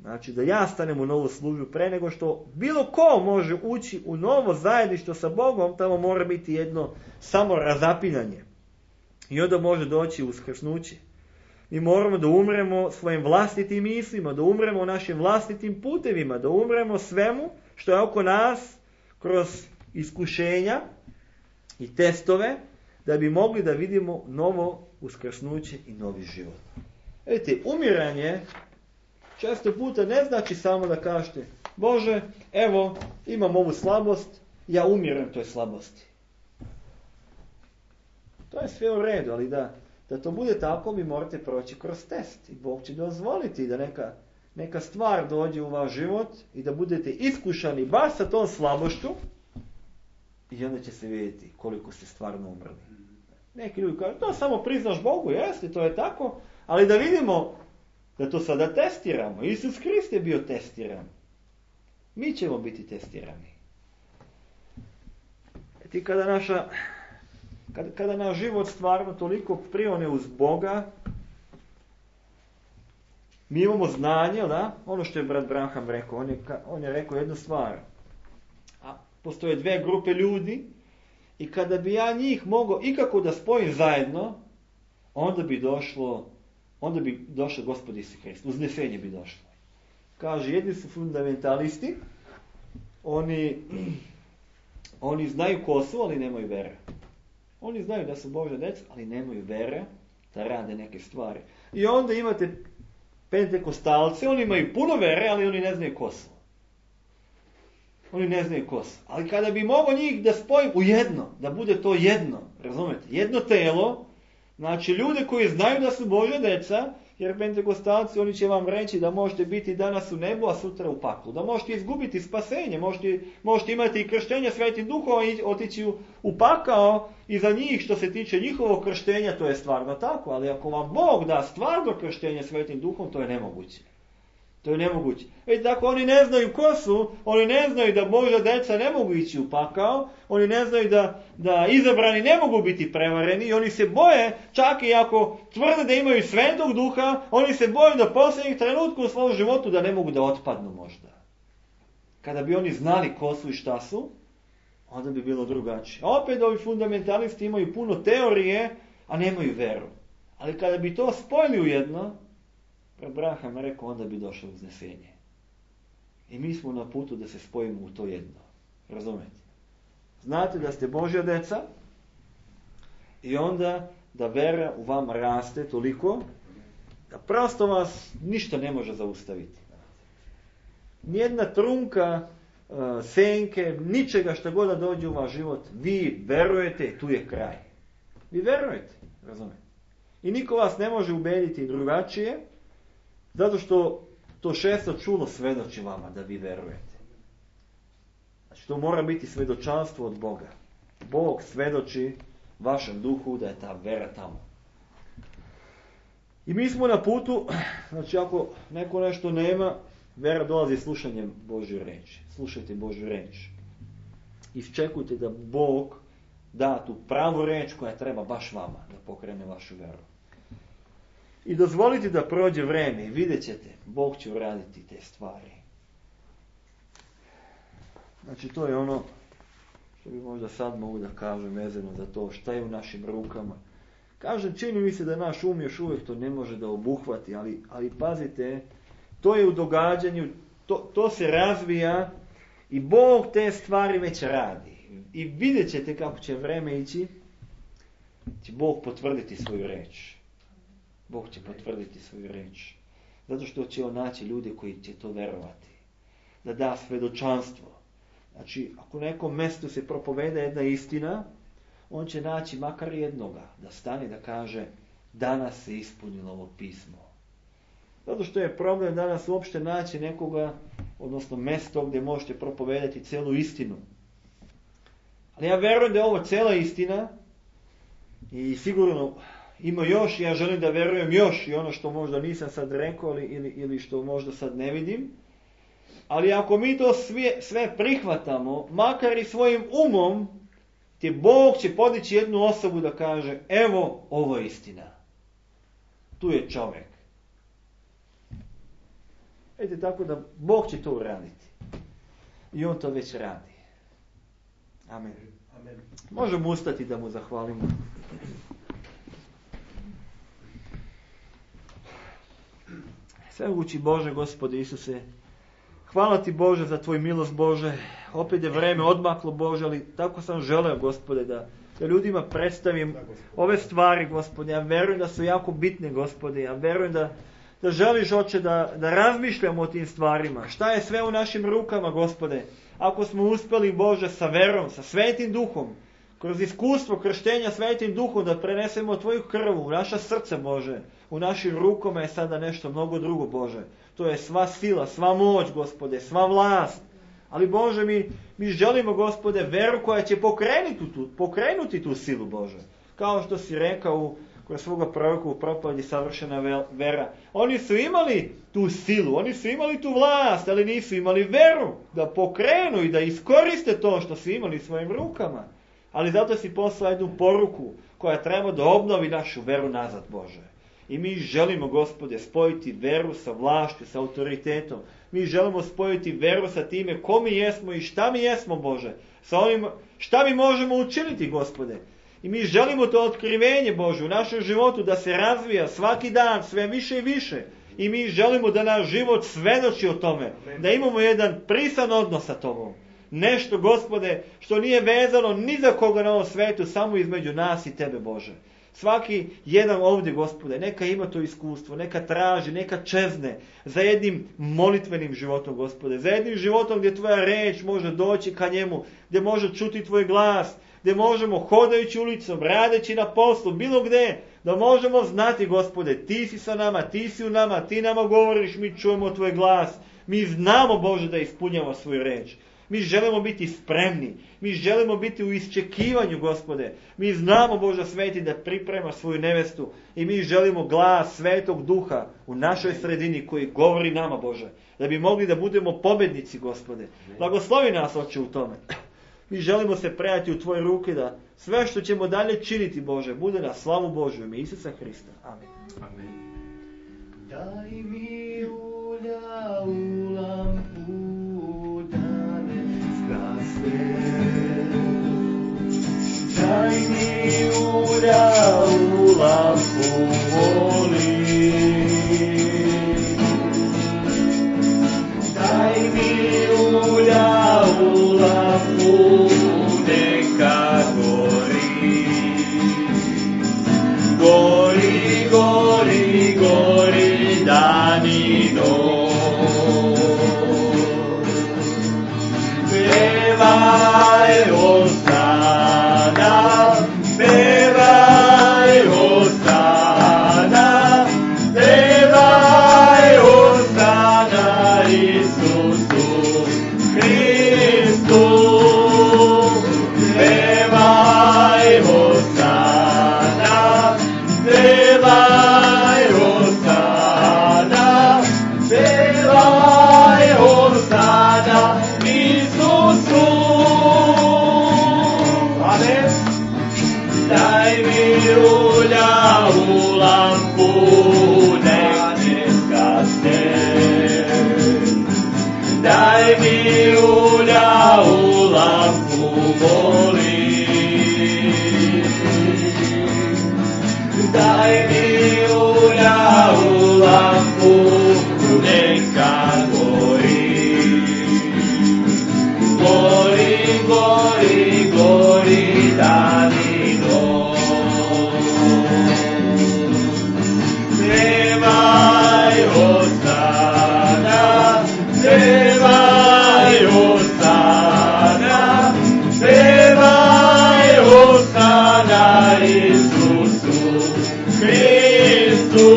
Znači da ja stanem u novu službu pre nego što bilo ko može ući u novo zajedništvo sa Bogom, tamo mora biti jedno samo razapinanje. I onda može doći uskrsnuće. Mi moramo da umremo svojim vlastitim mislima, da umremo našim vlastitim putevima, da umremo svemu što je oko nas kroz iskušenja i testove, da bi mogli da vidimo novo uskrsnuće i novi život. Vidite, umiranje često puta ne znači samo da kažete Bože, evo, imam ovu slabost, ja umirem toj slabosti. To je sve u redu, ali da to bude tako, vi morate proći kroz test. I Bog će dozvoliti da neka stvar dođe u vaš život i da budete iskušani baš sa tom slabošću i onda će se vidjeti koliko ste stvarno umrli. Neki ljudi kažu, to samo priznaš Bogu, jeste, to je tako, ali da vidimo da to sada testiramo. Isus Hrist je bio testiran. Mi ćemo biti testirani. I kada naš život stvarno toliko prione uz Boga, mi imamo znanje, da? Ono što je brat Branham rekao, on je rekao jednu stvar. A postoje dve grupe ljudi i kada bi ja njih mogao ikako da spojim zajedno, onda bi došao Gospod Isus Hrist. Uznesenje bi došlo. Kaže, jedni su fundamentalisti, oni znaju ko su, ali nemaju vere. Oni znaju da su Božja djeca, ali nemaju vere da rade neke stvari. I onda imate pentekostalce, oni imaju puno vere, ali oni ne znaju ko su. Oni ne znaju ko su. Ali kada bi mogao njih da spojim u jedno, da bude to jedno, razumete, jedno telo, znači ljude koji znaju da su Božja djeca, jer pentekostalci, oni će vam reći da možete biti danas u nebu, a sutra u paklu. Da možete izgubiti spasenje, možete imati i krštenje Svetim Duhom i otići u pakao i za njih što se tiče njihovog krštenja, to je stvarno tako. Ali ako vam Bog da stvarno krštenje Svetim Duhom, to je nemoguće. To je nemoguće. Dakle, oni ne znaju ko su, oni ne znaju da Božja djeca ne mogu ići u pakao, oni ne znaju da izabrani ne mogu biti prevareni i oni se boje, čak i ako tvrde da imaju Svetog Duha, oni se boje da posljednjih trenutka u svom životu da ne mogu da otpadnu možda. Kada bi oni znali ko su i šta su, onda bi bilo drugačije. A opet ovi fundamentalisti imaju puno teorije, a nemaju veru. Ali kada bi to spojili u jedno, Abraham rekao, onda bi došlo uznesenje. I mi smo na putu da se spojimo u to jedno. Razumete? Znate da ste Božja djeca i onda da vera u vama raste toliko da prosto vas ništa ne može zaustaviti. Nijedna trunka, senke, ničega što god da dođe u vaš život, vi verujete, tu je kraj. Vi verujete, razumete? I niko vas ne može ubediti drugačije, zato što to šesto čulo svedoči vama da vi verujete. Znači to mora biti svedočanstvo od Boga. Bog svedoči vašem duhu da je ta vera tamo. I mi smo na putu, znači ako neko nešto nema, vera dolazi slušanjem Božje reči. Slušajte Božju reč. Iščekujte da Bog da tu pravu reč koja treba baš vama da pokrene vašu veru. I dozvolite da prođe vreme i vidjet ćete, Bog će uraditi te stvari. Znači to je ono što bi možda sad mogu da kažem vezano za to šta je u našim rukama. Kažem, čini mi se da naš još uvijek to ne može da obuhvati, ali pazite, to je u događanju, to se razvija i Bog te stvari već radi. I vidjet ćete kako će vreme ići, će Bog potvrditi svoju reč. Bog će potvrditi svoju reč. Zato što će on naći ljude koji će to verovati. Da da svedočanstvo. Znači, ako u nekom mjestu se propoveda jedna istina, on će naći makar jednoga da stane da kaže danas se ispunilo ovo pismo. Zato što je problem danas uopšte naći nekoga, odnosno mjesto gdje možete propovedati celu istinu. Ali ja verujem da je ovo cela istina i sigurno ima još, ja želim da verujem još i ono što možda nisam sad rekao ili što možda sad ne vidim. Ali ako mi to sve prihvatamo, makar i svojim umom, te Bog će podići jednu osobu da kaže, evo, ovo je istina. Tu je čovjek. Vidite, tako da Bog će to uraditi. I on to već radi. Amen. Amen. Možemo ustati da mu zahvalimo. Svemogući Bože, Gospode Isuse, hvala ti Bože za tvoj milost Bože. Opet je vreme odmaklo Bože, ali tako sam želeo Gospode da ljudima predstavim ove stvari Gospode. Ja verujem da su jako bitne Gospode. Ja verujem da želiš Oče da razmišljamo o tim stvarima. Šta je sve u našim rukama Gospode? Ako smo uspjeli Bože sa verom, sa Svetim Duhom, kroz iskustvo krštenja Svetim Duhom da prenesemo tvoju krv u naša srce Bože. U našim rukama je sada nešto mnogo drugo Bože. To je sva sila, sva moć Gospode, sva vlast. Ali Bože, mi želimo Gospode veru koja će pokrenuti tu silu Bože. Kao što si rekao kroz svoga proroka u propovedi savršena vera. Oni su imali tu silu, oni su imali tu vlast, ali nisu imali veru da pokrenu i da iskoriste to što su imali svojim rukama. Ali zato si poslao jednu poruku koja treba da obnovi našu veru nazad Bože. I mi želimo Gospode spojiti veru sa vlašću, sa autoritetom. Mi želimo spojiti veru sa time ko mi jesmo i šta mi jesmo Bože. Sa onim šta mi možemo učiniti Gospode. I mi želimo to otkrivenje Bože u našem životu da se razvija svaki dan sve više i više. I mi želimo da naš život svedoči o tome. Da imamo jedan prisan odnos sa Tobom. Nešto Gospode što nije vezano ni za koga na ovom svetu, samo između nas i Tebe Bože. Svaki jedan ovdje Gospode, neka ima to iskustvo, neka traži, neka čezne za jednim molitvenim životom Gospode. Za jednim životom gdje Tvoja reč može doći ka njemu, gdje može čuti Tvoj glas, gdje možemo hodajući ulicom, radeći na poslu, bilo gdje, da možemo znati Gospode, Ti si sa nama, Ti si u nama, Ti nama govoriš, mi čujemo Tvoj glas. Mi znamo Bože da ispunjamo svoju reč. Mi želimo biti spremni. Mi želimo biti u iščekivanju Gospode. Mi znamo Bože Sveti da priprema svoju nevestu. I mi želimo glas Svetog Duha u našoj sredini koji govori nama Bože. Da bi mogli da budemo pobednici Gospode. Blagoslovi nas Oče u tome. Mi želimo se predati u Tvoje ruke da sve što ćemo dalje činiti Bože bude na slavu Božju ime Isusa Hrista. Amen. Amen. Daj mi ulja u lampu da ne zgasne. Daj mi ulja u lampu molim. Daj mi ulja u lampu neka gori. Gori, gori, gori dan i noć. Pevaj Hosana, pevaj Hosana, pevaj Hosana Isusu Hristu. Pevaj Hosana, pevaj Hosana, pevaj Hosana Isusu. Amen. Daj mi ulja u lampu, nek ne zgasne. Daj mi ulja u lampu, molim. Daj mi ulja u lampu, neka gori. Gori, gori, gori dan i noć. Pevaj Hosana, pevaj Hosana, pevaj Hosana Isusu Hristu.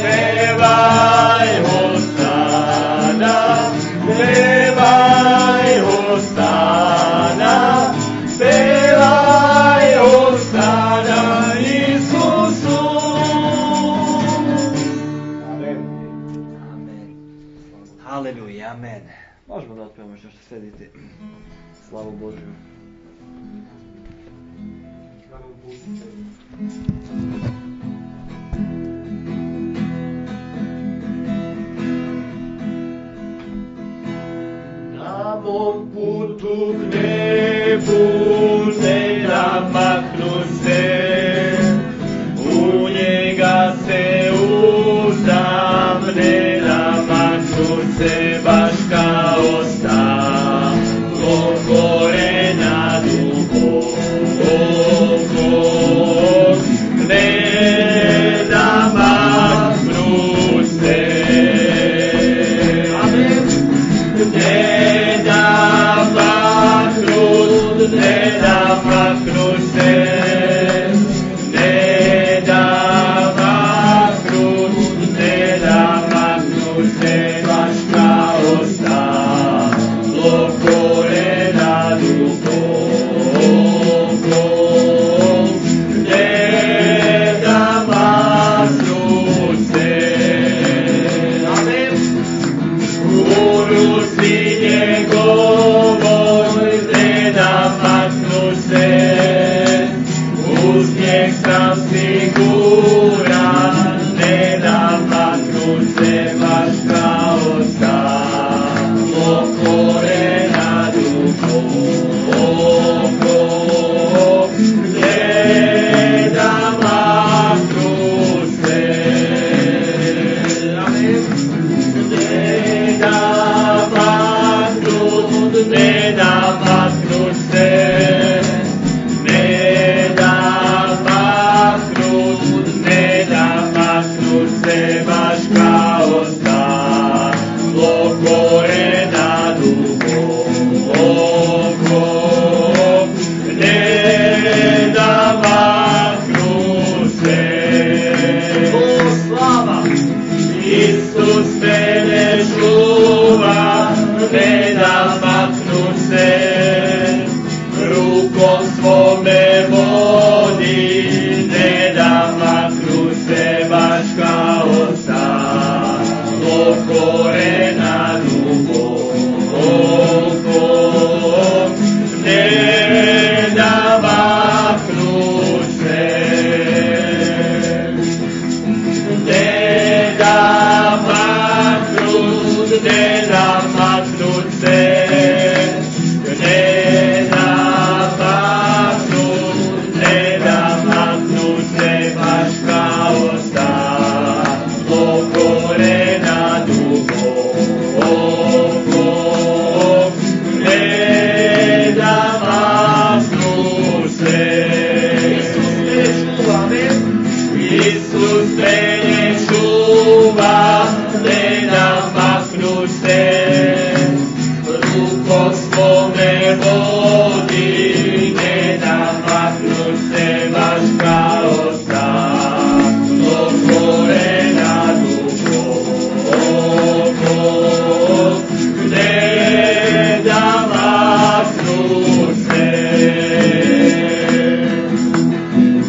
Pevaj Hosana, pevaj Hosana, pevaj Hosana Isusu. Amen. Amen. Haleluja, amen. Možemo da otpevamo što sedite. Slavu Božju. Slavu Božju. duh ne bude da maknu se, u njega se uzdam, ne da maknu se baš kao stalo korena dubokog, ne da maknu se. Amen. Ne da maknu, ne da maknu se, ne da maknu, ne da maknu se, baš kao stalo korena dubokog, ne da maknu se. Amen. U ruci njegovoj ne da maknu se, uz njeg sam siguran, ne da maknu se, baš kao stalo korena dubokog, ne da maknu se. Amen. Ne da maknu, ne da maknu se, ne da maknu, ne da maknu se, baš kao stalo korena dubokog, ne da maknu se. O, slava! Isus mene čuva, ne da maknu se, rukom svome vodi, ne da maknu se, baš kao stalo korena dubokog, ne da maknu se. Ne da maknu, ne da maknu se, ne da maknu, ne da maknu se, baš kao stalo korena dubokog, ne da maknu se. Isus mene čuva, ne da maknu se, rukom svome vodi, ne da maknu se, baš kao stalo korena dubokog, ne da maknu se.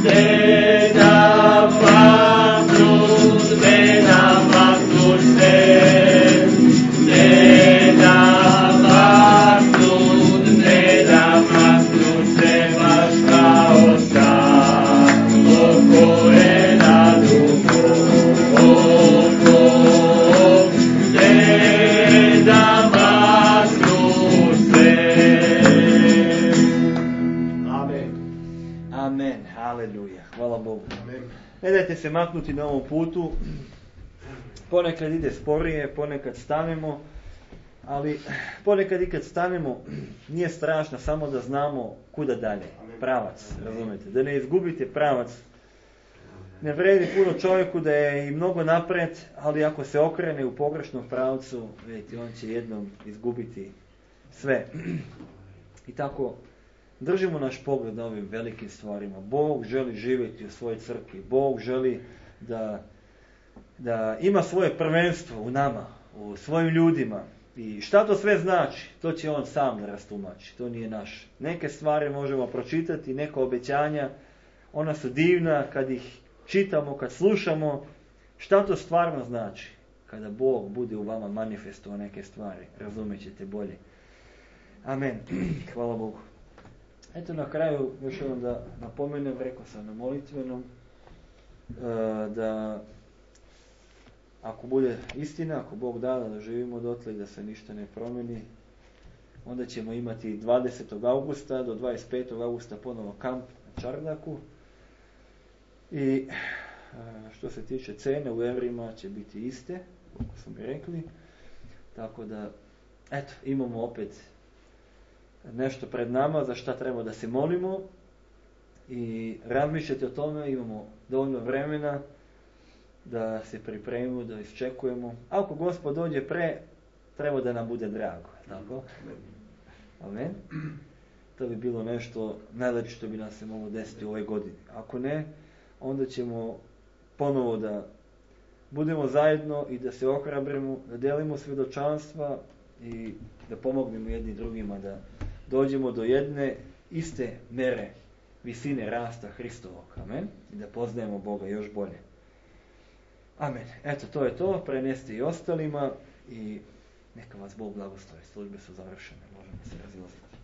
Ne da maknu, ne da maknu se, ne da maknu, ne da maknu se, baš kao stalo korena dubokog, ne da maknu se. Amen. Amen, haleluja, hvala Bogu. Ne dajte se maknuti na ovom putu, ponekad ide sporije, ponekad stanemo, ali ponekad i kad stanemo nije strašno, samo da znamo kuda dalje, pravac, razumijete, da ne izgubite pravac. Ne vredi puno čovjeku da je i mnogo napred, ali ako se okrene u pogrešnom pravcu, vidite, on će jednom izgubiti sve. I tako držimo naš pogled na ovim velikim stvarima. Bog želi živjeti u svojoj crkvi. Bog želi da ima svoje prvenstvo u nama, u svojim ljudima. I šta to sve znači? To će on sam da rastumači. To nije naš. Neke stvari možemo pročitati, neka obećanja. Ona su divna kad ih čitamo, kad slušamo. Šta to stvarno znači? Kada Bog bude u vama manifestovao neke stvari. Razumjet ćete bolje. Amen. Hvala Bogu. Eto na kraju još jednom da napomenem, rekao sam na molitvenom, da ako bude istina, ako Bog da živimo dotle i da se ništa ne promeni, Onda ćemo imati 20. augusta do 25. augusta ponovo kamp na Čardaku. I što se tiče cene u evrima će biti iste, kako smo mi rekli. Tako da, eto, imamo opet nešto pred nama za šta treba da se molimo i razmišljate o tome, imamo dovoljno vremena da se pripremimo, da iščekujemo. Ako Gospod dođe pre, treba da nam bude drago, tako? Amen. To bi bilo nešto najlepše što bi nam se moglo desiti u ovoj godini. Ako ne, onda ćemo ponovo da budemo zajedno i da se ohrabrimo, da delimo svjedočanstva i da pomognemo jedni drugima da dođemo do jedne iste mere visine rasta Hristovog. Amen. I da poznajemo Boga još bolje. Amen. Eto, to je to. Preneste i ostalima i neka vas Bog blagoslovi. Službe su završene. Možemo se razilaziti.